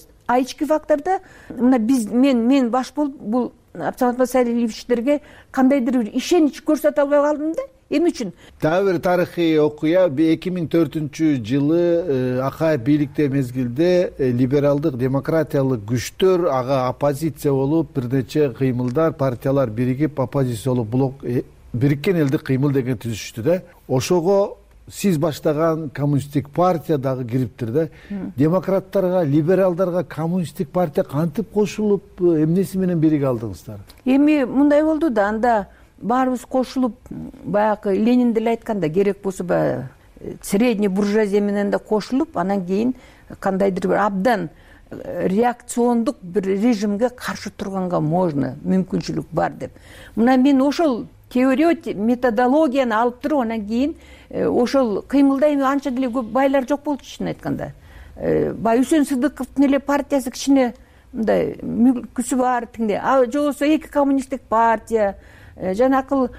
мына биз мен баш болуп бул Абсамат Масалиевичтерге кандайдыр бир ишенич көрсөтө албай калдым да. Эми үчүн дагы бир тарыхый окуя. 2004-жылы Акаев бийликте мезгилде либералдык демократиялык күчтөр ага оппозиция болуп, бир нече кыймылдар, партиялар биригип оппозиция болуп, блок бириккен элдик кыймыл деген түзүштү да. Ошого сиз баштаган коммунисттик партия дагы кириптир да. Демократтарга, либералдарга коммунисттик партия кантип кошулуп, эмнеси менен бириге алдыңыздар? Эми мындай болду да, анда баарыбыз кошулуп, баягы Ленин деле айтканда, керек болсо баягы средний буржуазия менен да кошулуп, анан кийин кандайдыр бир абдан реакциондук бир режимге каршы турганга можно, мүмкүнчүлүк бар деп. Мына мен ошол теория, методологияны алып туруп, анан кийин ошол кыймылда эми анча деле көп байлар жок болчу чын айтканда. Бай Үсөн Сыдыковдун эле партиясы кичине мындай мүлкүсү бар тигинде. А жобосо эки коммунисттик партия, жанакыл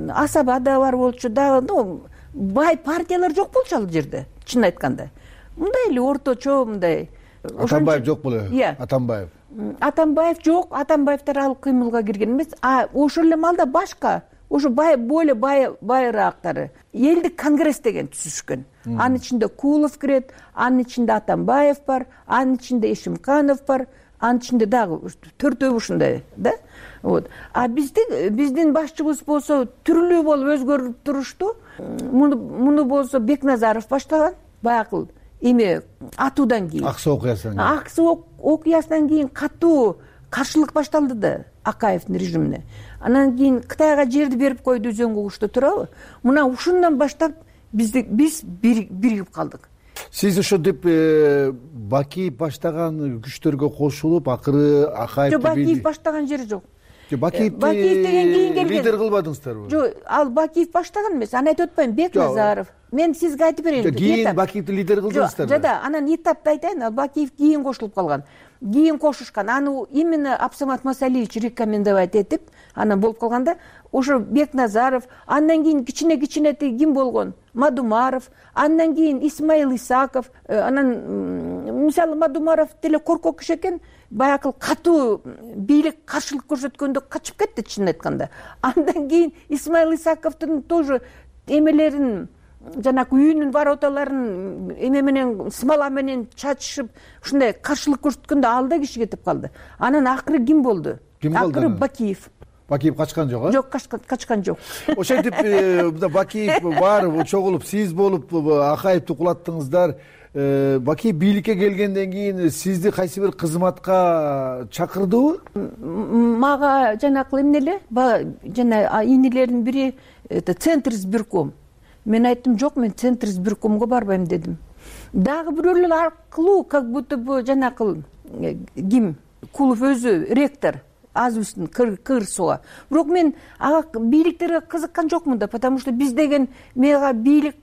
Асаба да бар болчу, дагы бай партиялар жок болчу ал жерде, чын айтканда. Мындай эле орточо мындай. Атамбаев жок беле? Атамбаев. Атамбаев жок, Атамбаевдер ал кыймылга кирген эмес. А ошол эле маалда башка, ошо более байраактары элдик конгресс деген түзүшкөн. Анын ичинде Кулов кирет, анын ичинде Атамбаев бар, анын ичинде Эшимканов бар, анын ичинде дагы төртөө ушундай да. Вот. А биздин башчыбыз болсо түрлүү болуп өзгөрүп турушту. Муну болсо Бекназаров баштаган, баягы эми атуудан кийин. Аксы окуясынан кийин. Аксы окуясынан кийин катуу каршылык башталды да Акаевдин режимине. Анан кийин Кытайга жерди берип койду Үзөң кугушта, туурабы? Мына ушундан баштап биз биригип калдык. Сиз ошентип Бакиев баштаган күчтөргө кошулуп, акыры Акаевди Бакиев баштаган жери жок. Бакиев деген кийин келген. Лидер кылбадыңыздарбы? Жок, ал Бакиев баштаган эмес. Аны айтып атпайм, Бекназаров. Мен сизге айтып берейин. Кийин Бакиевди лидер кылдыңыздар. Жок, анан этапты айтайын. Ал Бакиев кийин кошулуп калган. Кийин кошушкан. Аны именно Абсамат Масалиевич рекомендовать этип, анан болуп калганда, ошо Бекназаров, андан кийин кичине ким болгон? Мадумаров, андан кийин Исмаил Исаков, анан мисалы Мадумаров деле коркок киши экен, баягы катуу бийлик каршылык көрсөткөндө качып кетти чын айтканда. Андан кийин Исмаил Исаковдун тоже эмелерин, жанагы үйүнүн вороталарын эме менен смола менен чачышып, ушундай каршылык көрсөткөндө ал да киши кетип калды. Анан акыры ким болду? Акыры Бакиев. Бакиев качкан жок, Жок, качкан жок. Ошентип Бакиев бар, чогулуп сиз болуп Акаевди кулаттыңыздар. Бакиев бийликке келгенден кийин сизди кайсы бир кызматка чакырдыбы? Мага жанакы эмне эле, жана инилердин бири Центр избирком. Мен айттым, жок, мен Центр избиркомго барбайм дедим. Дагы бирөөлөр аркылуу, как будто бы жанакы ким? Кулов өзү ректор. Азбыстын кырсуга. Бирок мен ага бийликтерге кызыккан жокмун да, потому что биз деген мага бийлик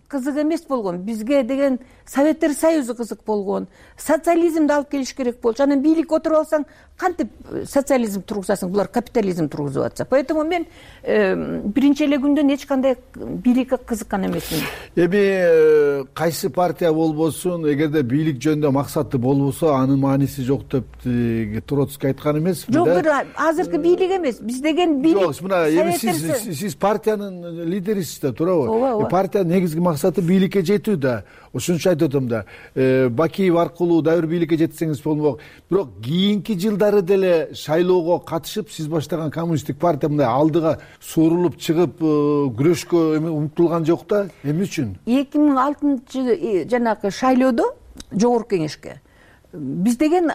кызык эмес болгон. Бизге деген Советтер Союзу кызык болгон. Социализмди алып келиш керек болчу. Анан бийликке отуруп алсаң, кантип социализм тургузасың, булар капитализм тургузуп атса. Поэтому мен биринчи эле күндөн эч кандай бийликке кызыккан эмесмин. Эми кайсы партия болбосун, эгерде бийлик жөнүндө максаты болбосо, анын мааниси жок деп Троцкий айткан эмеспи? Жок, азыркы бийлик эмес. Биз деген бийлик. Жок, мына эми сиз партиянын лидерисиз да, туурабы? Партиянын негизги максаты бийликке жетүү да. Ошон үчүн айтып атам да. Бакиев аркылуу дагы бир бийликке жетсеңиз болмок. Бирок кийинки жылдары деле шайлоого катышып, сиз баштаган коммунисттик партия мындай алдыга сурулуп чыгып, күрөшкө умтулган жок да. Эмне үчүн? 2006 жанагы шайлоодо жогорку кеңешке биз деген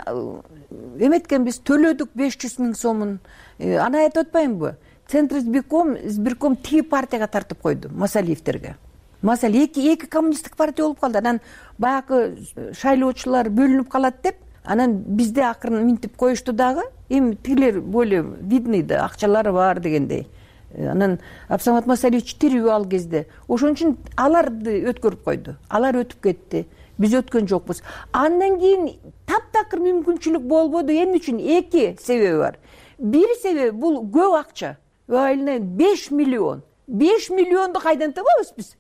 эметкенбиз, төлөдүк 500 000 сомун. Аны айтып атпаймынбы? Центр избирком тиги партияга тартып койду, Масалиевтерге. Масал эки коммунисттик партия болуп калды. Анан баягы шайлоочулар бөлүнүп калат деп, анан бизде акырын минтип коюшту дагы. Эми тигилер более видный да, акчалары бар дегендей. Анан Абсамат Масалиевич тирүү ал кезде. Ошон үчүн аларды өткөрүп койду. Алар өтүп кетти. Биз өткөн жокпуз. Андан кийин таптакыр мүмкүнчүлүк болбоду. Эмне үчүн? Эки себеби бар. Бир себеби бул көп акча. 5 миллион. 5 миллионду кайдан табабыз биз?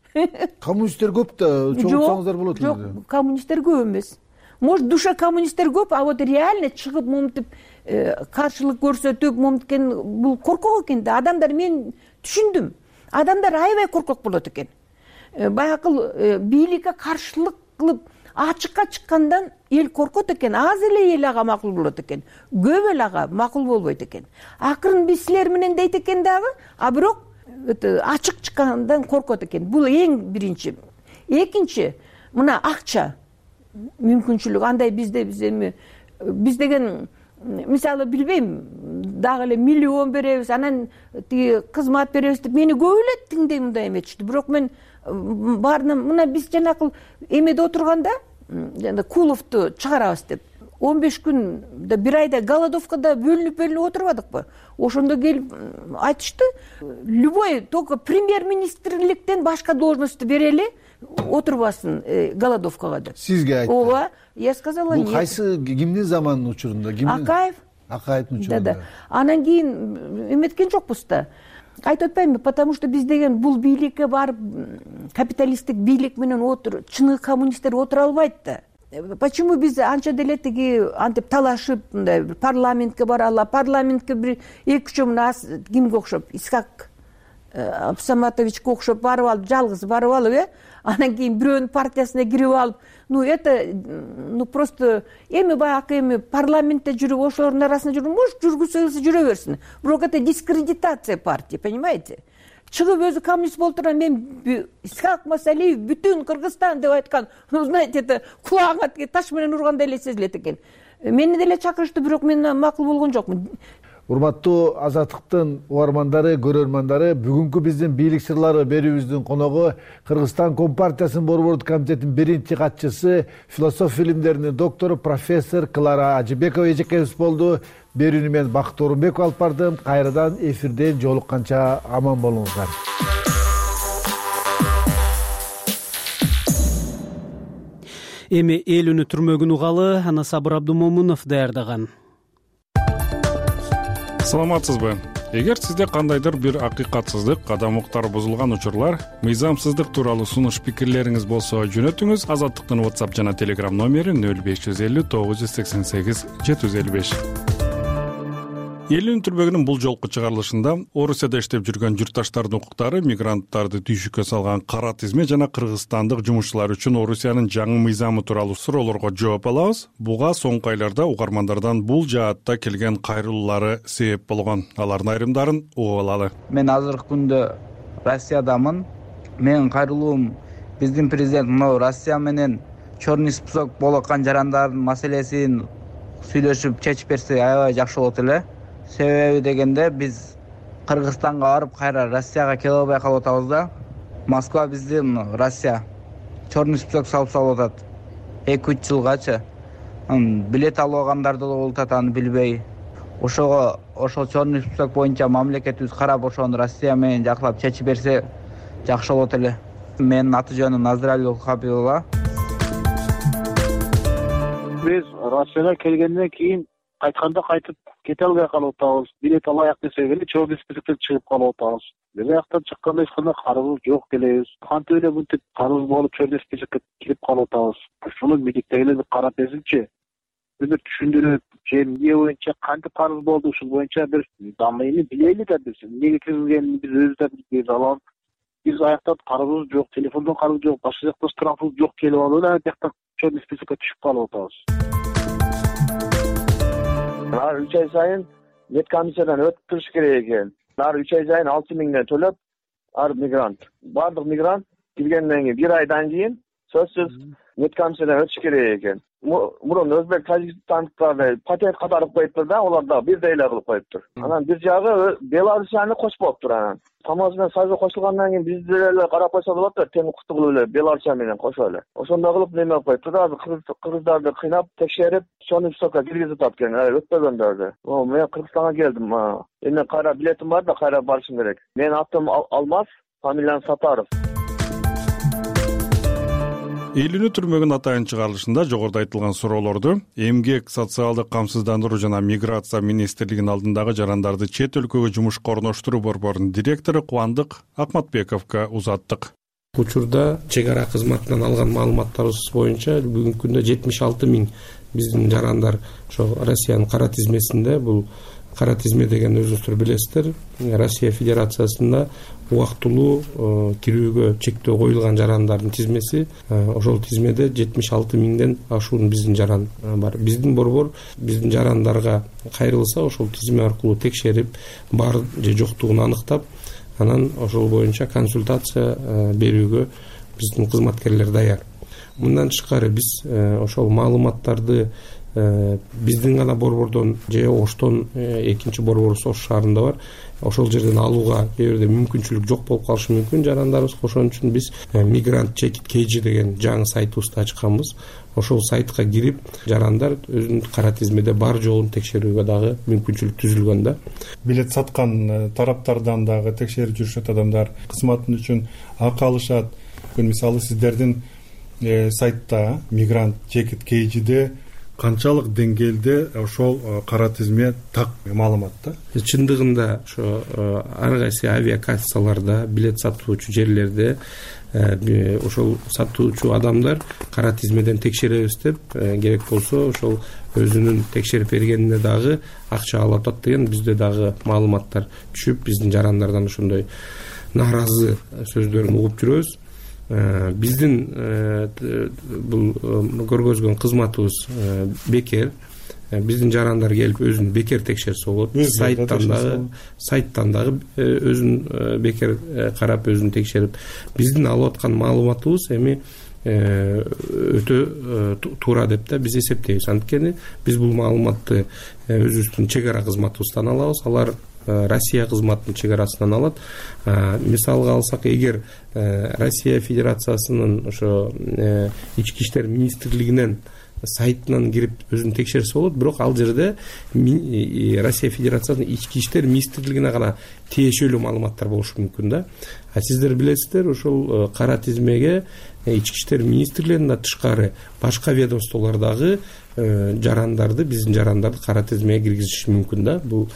Коммунисттер көп да, чогултсаңыздар болот эле. Жок, коммунисттер көп эмес. Может, душа коммунисттер көп, а вот реально чыгып момтип каршылык көрсөтүп, момткен бул коркок экен да. Адамдар, мен түшүндүм. Адамдар аябай коркок болот экен. Баягы бийликке каршылык кылып ачыкка чыккандан эл коркот экен. Аз эле эл ага макул болот экен. Көп эл ага макул болбойт экен. Акырын биз силер менен дейт экен дагы, а бирок ачык чыккандан коркот экен. Бул эң биринчи. Экинчи, мына акча мүмкүнчүлүк. Андай бизде биз деген мисалы билбейм, дагы эле миллион беребиз, анан тиги кызмат беребиз деп мени көп эле тиңдей мындай эметишти. Бирок мен баарына мына биз жанакы эмеде отурганда, жана Куловду чыгарабыз деп 15 күндө, бир айда голодовкада бөлүнүп отурбадыкпы? Ошондо келип айтышты, любой только премьер-министрликтен башка должностьту берели, отурбасын голодовкага деп. Сизге айтты? Ооба, я сказала нет. Бул кайсы кимдин заманынын учурунда? Акаевдин учурунда. Да. Анан кийин эметкен жокпуз да. Айтып атпаймынбы, потому что биз деген бул бийликке барып капиталисттик бийлик менен чыныгы коммунисттер отура албайт да. Почему биз анча деле тиги антип талашып, мындай парламентке баралы, парламентке бир 2-3 мына кимге окшоп, Исхак Абсаматовичке окшоп барып алып, жалгыз барып алып, анан кийин бирөөнүн партиясына кирип алып, просто эми баягы парламентте жүрүп, ошолордун арасында жүрүп, может, жүргүзсө жүрө берсин. Бирок это дискредитация партии, понимаете? Чыгып өзү коммунист болуп турган, мен Исхак Масалиев бүтүн Кыргызстан деп айткан, знаете, это кулагыңа таш менен ургандай эле сезилет экен. Мени деле чакырышты, бирок мен макул болгон жокмун. Урматтуу Азаттыктын угармандары, көрөрмандары, бүгүнкү биздин бийлик сырлары берүүбүздүн коногу Кыргызстан Компартиясынын борбордук комитетинин биринчи катчысы, философия илимдеринин доктору, профессор Клара Ажыбекова эжекебиз болду. Берүүнү мен Бакыт Орунбеков алып бардым. Кайрадан эфирден жолукканча аман болуңуздар. Эми эл үнү түрмөгүн угалы аны Сабыр Абдумомунов даярдаган. Саламатсызбы? Эгер сизде кандайдыр бир акыйкатсыздык, кадам уктары бузулган учурлар, мыйзамсыздык тууралуу сунуш пикирлериңиз болсо жөнөтүңүз. Азаттыктын WhatsApp жана Telegram номери 0550 988 755. Эл үнү түрмөгүнүн бул жолку чыгарылышында Орусияда иштеп жүргөн журтташтардын укуктары, мигранттарды түйшүккө салган кара тизме жана кыргызстандык жумушчулар үчүн Орусиянын жаңы мыйзамы тууралуу суроолорго жооп алабыз. Буга соңку айларда угармандардан бул жаатта келген кайрылуулары себеп болгон. Алардын айрымдарын угуп алалы. Мен азыркы күндө Россиядамын. Менин кайрылуум биздин президент мына Россия менен черный список болоткан жарандардын маселесин сүйлөшүп чечип берсе аябай жакшы болот эле. Себеби дегенде биз Кыргызстанга барып кайра Россияга келе албай калып атабыз да. Москва биздин Россия черный список салып атат. 2-3 жылгачы. Билет алып алгандарды да болуп атат, аны билбей. Ошол черный список боюнча мамлекетибиз карап ошону Россия менен жакшылап чечип берсе жакшы болот эле. Менин аты жөнүм Назирали Хабибулла. Биз Россияга келгенден кийин кайтканда кайтып кете албай калып атабыз. Билет алайык десек эле черный списоктен чыгып калып атабыз. Бир жактан чыкканда эч кандай карызыбыз жок келебиз. Кантип эле мынтип карыз болуп черный списокко кирип калып атабыз. Шуну миликтегилер бир карап берсинчи. Бир түшүндүрүп, же эмне боюнча кантип карыз болду, ушул боюнча бир дамыйны билели да биз. Эмнеге киргизгенин биз өзүбүз да билбейбиз. Алам биз аяктан карызыбыз жок, телефондон карыз жок, башка жактан штрафыбыз жок келип алып эле аяктан черный списокко түшүп калып атабыз. Ар 3 ай сайын нет комиссиядан өтүп туруш керек экен. Ар 3 ай сайын 6 миңден төлөп, ар мигрант. Бардык мигрант киргенден кийин 1 айдан кийин сөзсүз нет комиссиядан өтүш керек экен. Мурун өзбек тажикстандыктарды патент катарып коюптур да, олар да бирдей эле кылып коюптур. Анан бир жагы Беларусияны кошпоптур анан. Самос менен Союзга кошулгандан кийин биз деле карап койсо болот да, тең укуктуу кылып эле Беларусия менен кошо эле. Ошондой кылып неме кылып коюптур да, кыргыздарды кыйнап текшерип, черный списокко киргизип атат экен, өтпөгөндөрдү. Мен Кыргызстанга келдим. Эми кайра билетим бар да, кайра барышым керек. Менин атым Алмаз, фамилиям Сатаров. Элүүнү түрмөгүн атайын чыгарылышында жогоруда айтылган суроолорду Эмгек, социалдык камсыздандыруу жана миграция министрлигинин алдындагы жарандарды чет өлкөгө жумушка орноштуруу борборунун директору Кубандык Акматбековго узаттык. Учурда чек ара кызматынан алган маалыматтарыбыз боюнча бүгүнкү күндө 76 миң биздин жарандар ошо Россиянын кара тизмесинде. Бул кара тизме деген өзүңүздөр билесиздер, Россия Федерациясында убактылуу кирүүгө чектөө коюлган жарандардын тизмеси. Ошол тизмеде 76 миңден ашуун биздин жаран бар. Биздин борбор биздин жарандарга кайрылса, ошол тизме аркылуу текшерип, бар же жоктугун аныктап, анан ошол боюнча консультация берүүгө биздин кызматкерлер даяр. Мындан тышкары биз ошол маалыматтарды биздин гана борбордон же Оштон экинчи борборубуз Ош шаарында бар, ошол жерден алууга кээ бирде мүмкүнчүлүк жок болуп калышы мүмкүн жарандарыбыз. Ошон үчүн биз Migrant Check KG деген жаңы сайтыбызды ачканбыз. Ошол сайтка кирип, жарандар өзүнүн кара тизмеде бар жоогун текшерүүгө дагы мүмкүнчүлүк түзүлгөн да. Билет саткан тараптардан дагы текшерип жүрүшөт адамдар, кызматын үчүн акы алышат. Мисалы сиздердин сайтта Migrant Check KG'де канчалык деңгээлде ошол кара тизме так маалымат да? Чындыгында ошо ар кайсы авиакассаларда, билет сатуучу жерлерде ошол сатуучу адамдар кара тизмеден текшеребиз деп, керек болсо ошол өзүнүн текшерип бергенине дагы акча алып атат деген бизде дагы маалыматтар түшүп, биздин жарандардан ошондой нааразы сөздөрүн угуп жүрөбүз. Биздин бул көргөзгөн кызматыбыз бекер. Биздин жарандар келип өзүн бекер текшерсе болот. Сайттан дагы өзүн бекер карап, өзүн текшерип, биздин алып аткан маалыматыбыз эми өтө туура деп да биз эсептейбиз. Анткени биз бул маалыматты өзүбүздүн чек ара кызматыбыздан алабыз. Алар Россия кызматынын чек арасынан алат. Мисалга алсак, эгер Россия Федерациясынын ошо ички иштер министрлигинен сайтынан кирип өзүн текшерсе болот, бирок ал жерде Россия Федерациясынын ички иштер министрлигине гана тиешелүү маалыматтар болушу мүмкүн да. Сиздер билесиздер, ошол кара тизмеге ички иштер министрлигинен тышкары башка ведомстволор дагы жарандарды, биздин жарандарды кара тизмеге киргизиши мүмкүн да. Бул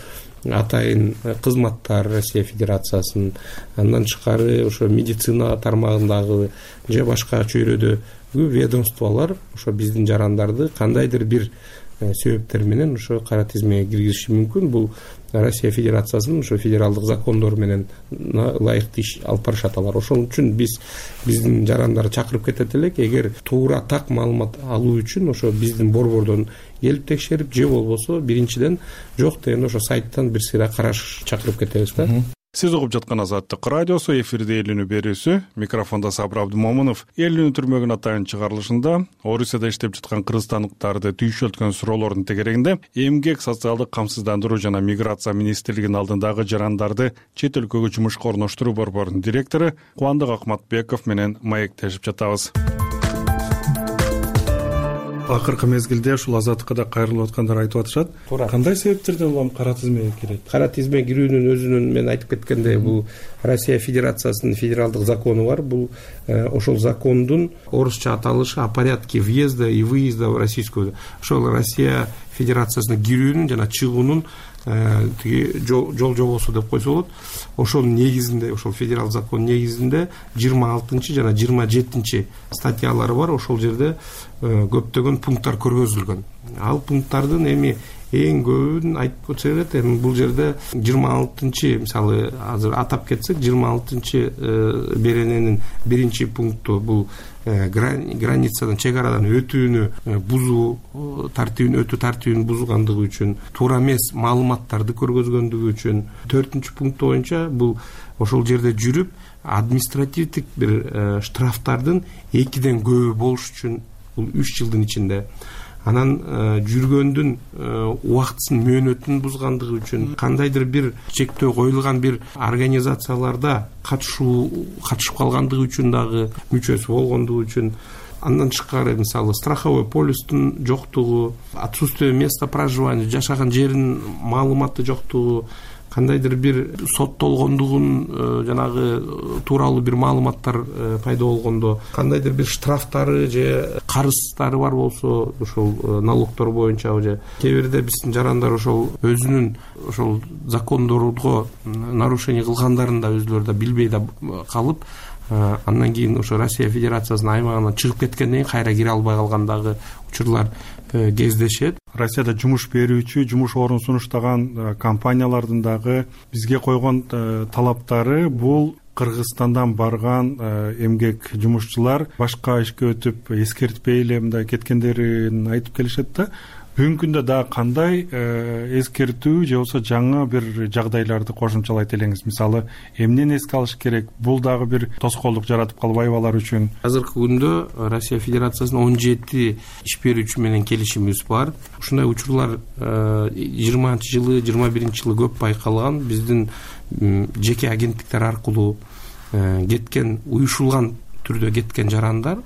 атайын кызматтар Россия Федерациясынын, андан тышкары ошо медицина тармагындагы же башка чөйрөдөгү ведомстволор ошо биздин жарандарды кандайдыр бир себептер менен ошо кара тизмеге киргизиши мүмкүн. Бул Россия Федерациясынын ошо федералдык закондору менен ылайыктуу иш алып барышат алар. Ошол үчүн биздин жарандарды чакырып кетет элек, эгер туура так маалымат алуу үчүн ошо биздин борбордон келип текшерип, же болбосо биринчиден жок дегенде ошо сайттан бир сыйра караш чакырып кетебиз да. Сиз угуп жаткан Азаттык радиосу, эфирде Элүүнү берүүсү. Микрофондо Сабыр Абдымомунов. Элүүнү түрмөгүн атайын чыгарылышында Орусияда иштеп жаткан кыргызстандыктарды түйшөлткөн суроолордун тегерегинде Эмгек, социалдык камсыздандыруу жана миграция министрлигинин алдындагы жарандарды чет өлкөгө жумушка орноштуруу борборунун директору Кубандык Акматбеков менен маектешип жатабыз. акыркы мезгилде ушул азаттыкка да кайрылып аткандар айтып атышат. Кандай себептерден улам кара тизмеге кирет? Кара тизмеге кирүүнүн өзүнүн мен айтып кеткендей бул Россия Федерациясынын федералдык закону бар. Бул ошол закондун орусча аталышы о порядке въезда и выезда в Российскую. Ошол Россия Федерациясына кирүүнүн жана чыгуунун тиги жол жобосу деп койсо болот. Ошонун негизинде, ошол федерал закон негизинде 26 жана 27 статьялары бар. Ошол жерде көптөгөн пункттар көргөзүлгөн. Ал пункттардын эми эң көбүн айтып өтсө керек. Эми бул жерде 26 мисалы азыр атап кетсек 26 берененин 1 пункту бул границадан, чек арадан өтүүнү бузуу тартибин, өтүү тартибин бузгандыгы үчүн, туура эмес маалыматтарды көргөзгөндүгү үчүн. 4 пункт боюнча бул ошол жерде жүрүп административдик бир штрафтардын 2ден көбү болуш үчүн бул 3 жылдын ичинде. Анан жүргөндүн убактысын, мөөнөтүн бузгандыгы үчүн, кандайдыр бир чектөө коюлган бир организацияларда катышып калгандыгы үчүн дагы, мүчөсү болгондугу үчүн. Андан тышкары мисалы страховой полистин жоктугу, отсутствие места проживания, жашаган жеринин маалыматы жоктугу, кандайдыр бир соттолгондугун жанагы тууралуу бир маалыматтар пайда болгондо, кандайдыр бир штрафтары же карыздары бар болсо, ошол налогдор боюнча же кээ бирде биздин жарандар ошол өзүнүн ошол закондорго нарушение кылгандарын да өзүлөрү да билбей да калып, андан кийин ошо Россия Федерациясынын аймагынан чыгып кеткенден кийин кайра кире албай калгандагы учурлар кездешет. Россияда жумуш берүүчү, жумуш орун сунуштаган компаниялардын дагы бизге койгон талаптары бул Кыргызстандан барган эмгек жумушчулар башка ишке өтүп эскертпей эле мындай кеткендерин айтып келишет да. Бүгүнкү күндө дагы кандай эскертүү же болбосо жаңы бир жагдайларды кошумчалайт элеңиз? Мисалы, эмнени эске алыш керек? Бул дагы бир тоскоолдук жаратып калбайбы алар үчүн? Азыркы күндө Россия Федерациясынын 17 иш берүүчү менен келишимибиз бар. Ушундай учурлар 20-жылы, 21-жылы көп байкалган. Биздин жеке агенттиктер аркылуу кеткен, уюшулган түрдө кеткен жарандар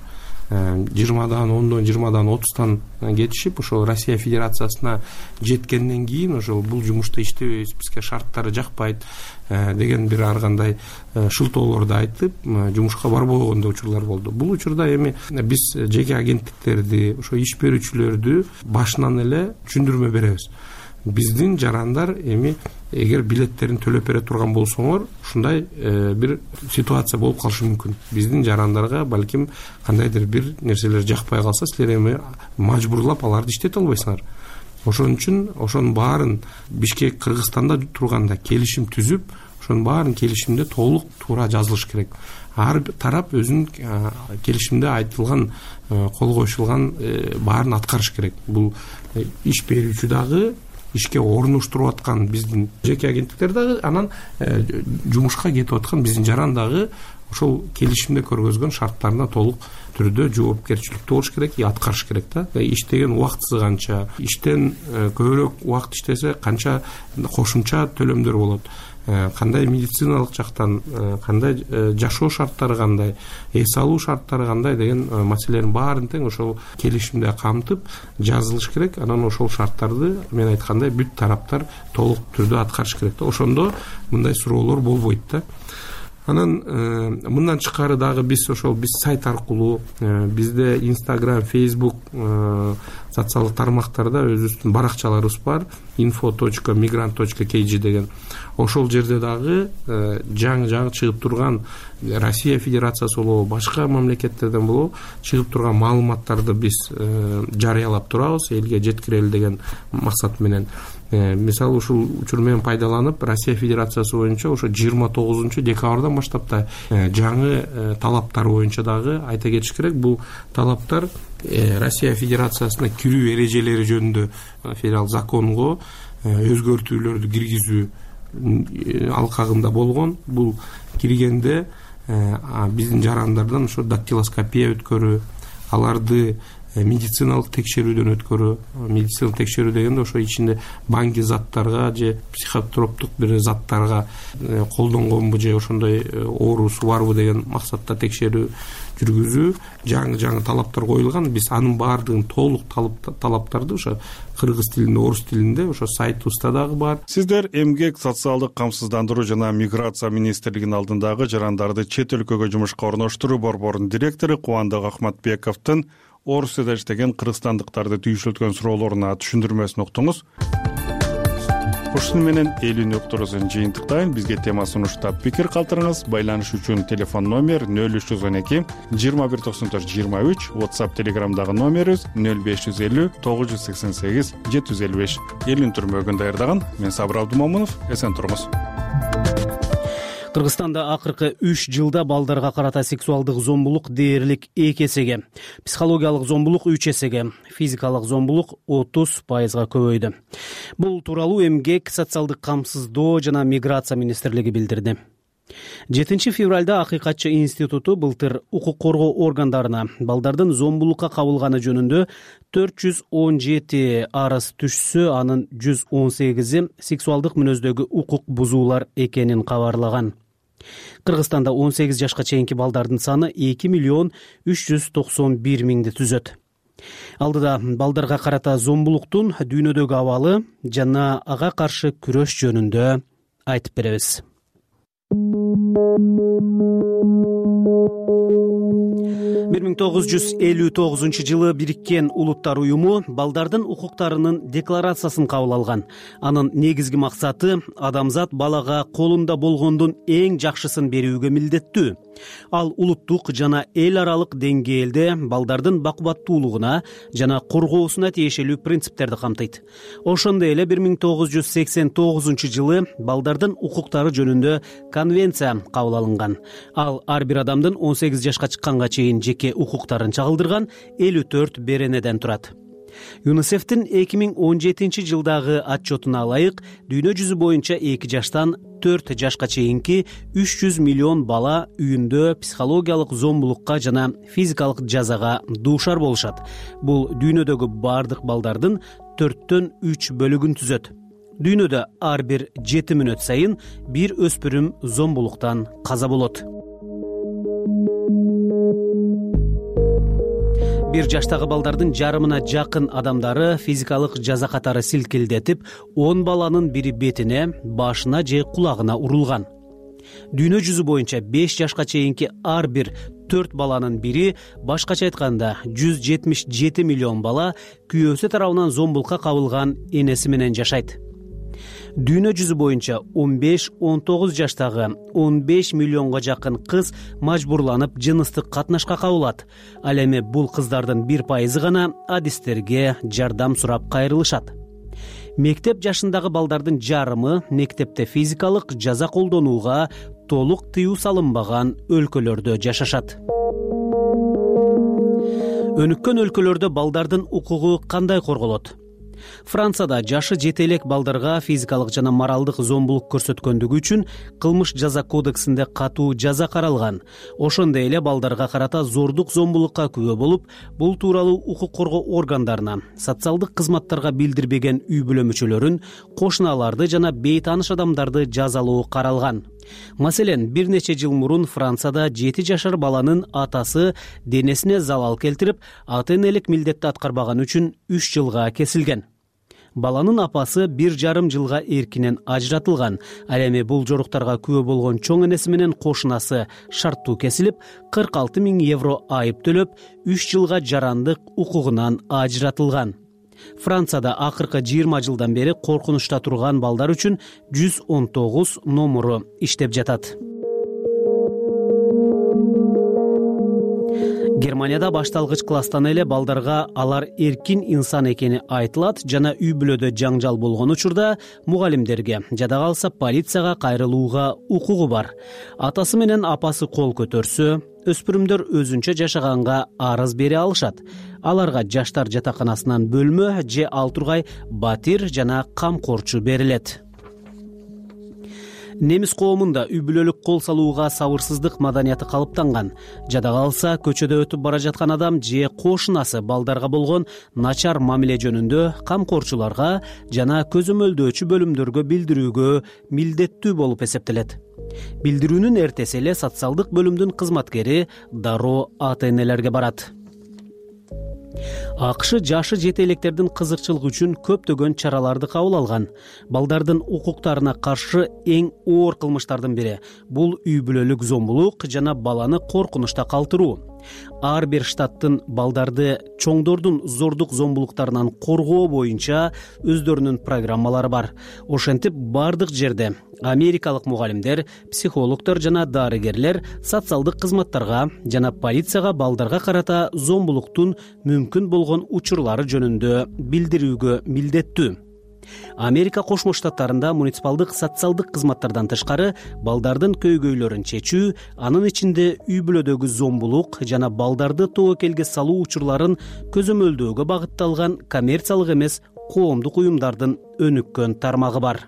20дан 10дан 20дан 30тан кетишип, ошол Россия Федерациясына жеткенден кийин ошол бул жумушта иштебейбиз, бизге шарттары жакпайт деген бир ар кандай шылтоолорду айтып, жумушка барбой койгондой учурлар болду. Бул учурда эми биз жеке агенттиктерди, ошо иш берүүчүлөрдү башынан эле түшүндүрмө беребиз. Биздин жарандар эми эгер билеттерин төлөп бере турган болсоңор, ушундай бир ситуация болуп калышы мүмкүн. Биздин жарандарга балким кандайдыр бир нерселер жакпай калса, силер эми мажбурлап аларды иштете албайсыңар. Ошон үчүн ошонун баарын Бишкек, Кыргызстанда турганда келишим түзүп, ошонун баарын келишимде толук туура жазылыш керек. Ар тарап өзүнүн келишимде айтылган, кол коюшулган баарын аткарыш керек. Бул иш берүүчү дагы, ишке орнуштуруп аткан биздин жеке агенттиктер дагы, анан жумушка кетип аткан биздин жаран дагы ошол келишимде көргөзгөн шарттарына толук түрдө жоопкерчиликтүү болуш керек, аткарыш керек да. Иштеген убактысы канча, иштен көбүрөөк убакыт иштесе канча кошумча төлөмдөр болот, кандай медициналык жактан, кандай жашоо шарттары кандай, эс алуу шарттары кандай деген маселелердин баарын тең ошол келишимде камтып жазылыш керек. Анан ошол шарттарды мен айткандай бүт тараптар толук түрдө аткарыш керек да. Ошондо мындай суроолор болбойт да. Анан мындан тышкары дагы биз сайт аркылуу, бизде Instagram, Facebook, социалдык тармактарда өзүбүздүн баракчаларыбыз бар, info.migrant.kg деген. Ошол жерде дагы жаңы чыгып турган Россия Федерациясы болобу, башка мамлекеттерден болобу чыгып турган маалыматтарды биз жарыялап турабыз, элге жеткирели деген максат менен. Мисалы, ушул учур менен пайдаланып, Россия Федерациясы боюнча ошо 29 декабрдан баштап да жаңы талаптар боюнча дагы айта кетиш керек. Бул талаптар Россия Федерациясына кирүү эрежелери жөнүндө федерал законго өзгөртүүлөрдү киргизүү алкагында болгон. Бул киргенде биздин жарандардан ошо дактилоскопия өткөрүү, аларды медициналык текшерүүдөн өткөрүү. Медициналык текшерүү дегенде ошо ичинде баңги заттарга же психотроптук бир заттарга колдонгонбу же ошондой оорусу барбы деген максатта текшерүү жүргүзүү. Жаңы талаптар коюлган. Биз анын баардыгын толук талаптарды ошо кыргыз тилинде, орус тилинде ошо сайтыбызда дагы бар. Сиздер эмгек, социалдык камсыздандыруу жана миграция министрлигинин алдындагы жарандарды чет өлкөгө жумушка орноштуруу борборунун директору Кубандык Ахматбековдун Орусияда иштеген кыргызстандыктарды түйшүлткөн суроолоруна түшүндүрмөсүн уктуңуз. Ушуну менен элүүнү уктуруусун жыйынтыктайын. Бизге тема сунуштап пикир калтырыңыз. Байланыш үчүн телефон номер 0312 219423, WhatsApp Telegramдагы номерибиз 0550 988 755. Элүүнү түрмөгүн даярдаган мен Сабыр Абдумомунов. Эсен туруңуз. Кыргызстанда акыркы 3 жылда балдарга карата сексуалдык зомбулук дээрлик 2 эсеге, психологиялык зомбулук 3 эсеге, физикалык зомбулук 30% көбөйдү. Бул тууралуу эмгек, социалдык камсыздоо жана миграция министрлиги билдирди. 7 февралда Акыйкатчы институту былтыр укук коргоо органдарына балдардын зомбулукка кабылганы жөнүндө 417 арыз түшсө, анын 118и сексуалдык мүнөздөгү укук бузуулар экенин кабарлаган. Кыргызстанда 18 жашка чейинки балдардын саны 2.391.000 түзөт. Алдыда балдарга карата зомбулуктун дүйнөдөгү абалы жана ага каршы күрөш жөнүндө айтып беребиз. 1959 жылы Бириккен Улуттар уюму балдардын укуктарынын декларациясын кабыл алган. Анын негизги максаты адамзат балага колунда болгондун эң жакшысын берүүгө милдеттүү. Ал улуттук жана эл аралык деңгээлде балдардын бакубаттуулугуна жана коргоосуна тиешелүү принциптерди камтыйт. Ошондой эле 1989 жылы балдардын укуктары жөнүндө конвенция кабыл алынган. Ал ар бир адамдын 18 жашка чыкканга чейин жеке укуктарын чагылдырган 54 беренеден турат. ЮНИСЕФтин 2017 жылдагы отчетуна ылайык, дүйнө жүзү боюнча 2 жаштан 4 жашка чейинки 300 миллион бала үйүндө психологиялык зомбулукка жана физикалык жазага дуушар болушат. Бул дүйнөдөгү бардык балдардын 4/3 бөлүгүн түзөт. Дүйнөдө ар бир 7 мүнөт сайын бир өспүрүм зомбулуктан каза болот. 1 жаштагы балдардын жарымына жакын адамдары физикалык жаза катары силкилдетип, 10 баланын бири бетине, башына же кулагына урулган. Дүйнө жүзү боюнча 5 жашка чейинки ар бир 4 баланын бири, башкача айтканда 177 миллион бала күйөөсү тарабынан зомбулукка кабылган энеси менен жашайт. Дүйнө жүзү боюнча 15-19 жаштагы 15 миллионго жакын кыз мажбурланып жыныстык катнашка кабылат. Ал эми бул кыздардын 1% гана адистерге жардам сурап кайрылышат. Мектеп жашындагы балдардын жарымы мектепте физикалык жаза колдонууга толук тыюу салынбаган өлкөлөрдө жашашат. Өнүккөн өлкөлөрдө балдардын укугу кандай корголот? Францияда жашы жете элек балдарга физикалык жана моралдык зомбулук көрсөткөндүгү үчүн кылмыш жаза кодексинде катуу жаза каралган. Ошондой эле балдарга карата зордук зомбулукка күбө болуп, бул тууралуу укук коргоо органдарына, социалдык кызматтарга билдирбеген үй бүлө мүчөлөрүн, кошуналарды жана бейтааныш адамдарды жазалоо каралган. Маселен, бир нече жыл мурун Францияда 7 жашар баланын атасы денесине залал келтирип, ата-энелик милдетти аткарбаган үчүн 3 жылга кесилген. Баланын апасы 1,5 жылга эркинен ажыратылган. Ал эми бул жоруктарга күбө болгон чоң энеси менен кошунасы шарттуу кесилип, 46 000 евро айып төлөп, 3 жылга жарандык укугунан ажыратылган. Францияда акыркы 20 жылдан бери коркунучта турган балдар үчүн 119 номуру иштеп жатат. Германияда башталгыч класстан эле балдарга алар эркин инсан экени айтылат жана үй бүлөдө жаңжал болгон учурда мугалимдерге, жада калса полицияга кайрылууга укугу бар. Атасы менен апасы кол көтөрсө, өспүрүмдөр өзүнчө жашаганга арыз бере алышат. Аларга жаштар жатаканасынан бөлмө же ал тургай батир жана камкорчу берилет. Немис коомунда үй бүлөлүк кол салууга сабырсыздык маданияты калыптанган. Жада калса, көчөдө өтүп бара жаткан адам же кошунасы балдарга болгон начар мамиле жөнүндө камкорчуларга жана көзөмөлдөөчү бөлүмдөргө билдирүүгө милдеттүү болуп эсептелет. Билдирүүнүн эртеси эле социалдык бөлүмдүн кызматкери дароо ата-энелерге барат. АКШ жашы жете электердин кызыкчылыгы үчүн көптөгөн чараларды кабыл алган. Балдардын укуктарына каршы эң оор кылмыштардын бири бул үй бүлөлүк зомбулук жана баланы коркунучта калтыруу. Ар бир штаттын балдарды чоңдордун зордук зомбулуктарынан коргоо боюнча өздөрүнүн программалары бар. Ошентип бардык жерде америкалык мугалимдер, психологдор жана дарыгерлер социалдык кызматтарга жана полицияга балдарга карата зомбулуктун мүмкүн болгон учурлары жөнүндө билдирүүгө милдеттүү. Америка Кошмо Штаттарында муниципалдык социалдык кызматтардан тышкары балдардын көйгөйлөрүн чечүү, анын ичинде үй бүлөдөгү зомбулук жана балдарды тобокелге салуу учурларын көзөмөлдөөгө багытталган коммерциялык эмес коомдук уюмдардын өнүккөн тармагы бар.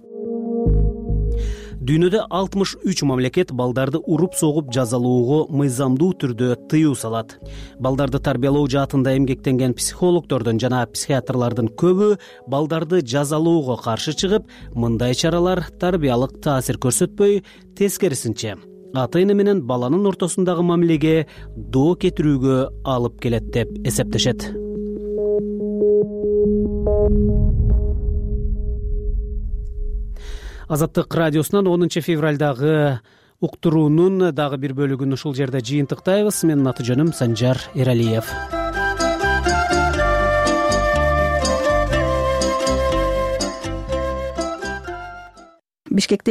Дүйнөдө 63 мамлекет балдарды уруп согуп жазалоого мыйзамдуу түрдө тыюу салат. Балдарды тарбиялоо жаатында эмгектенген психологдордун жана психиатрлардын көбү балдарды жазалоого каршы чыгып, мындай чаралар тарбиялык таасир көрсөтпөй, тескерисинче ата-эне менен баланын ортосундагы мамилеге доо кетирүүгө алып келет деп эсептешет. Азаттык радиосунан 10 февралдагы уктуруунун дагы бир бөлүгүн ушул жерде жыйынтыктайбыз. Менин аты жөнүм Санжар Эралиев. Бишкекте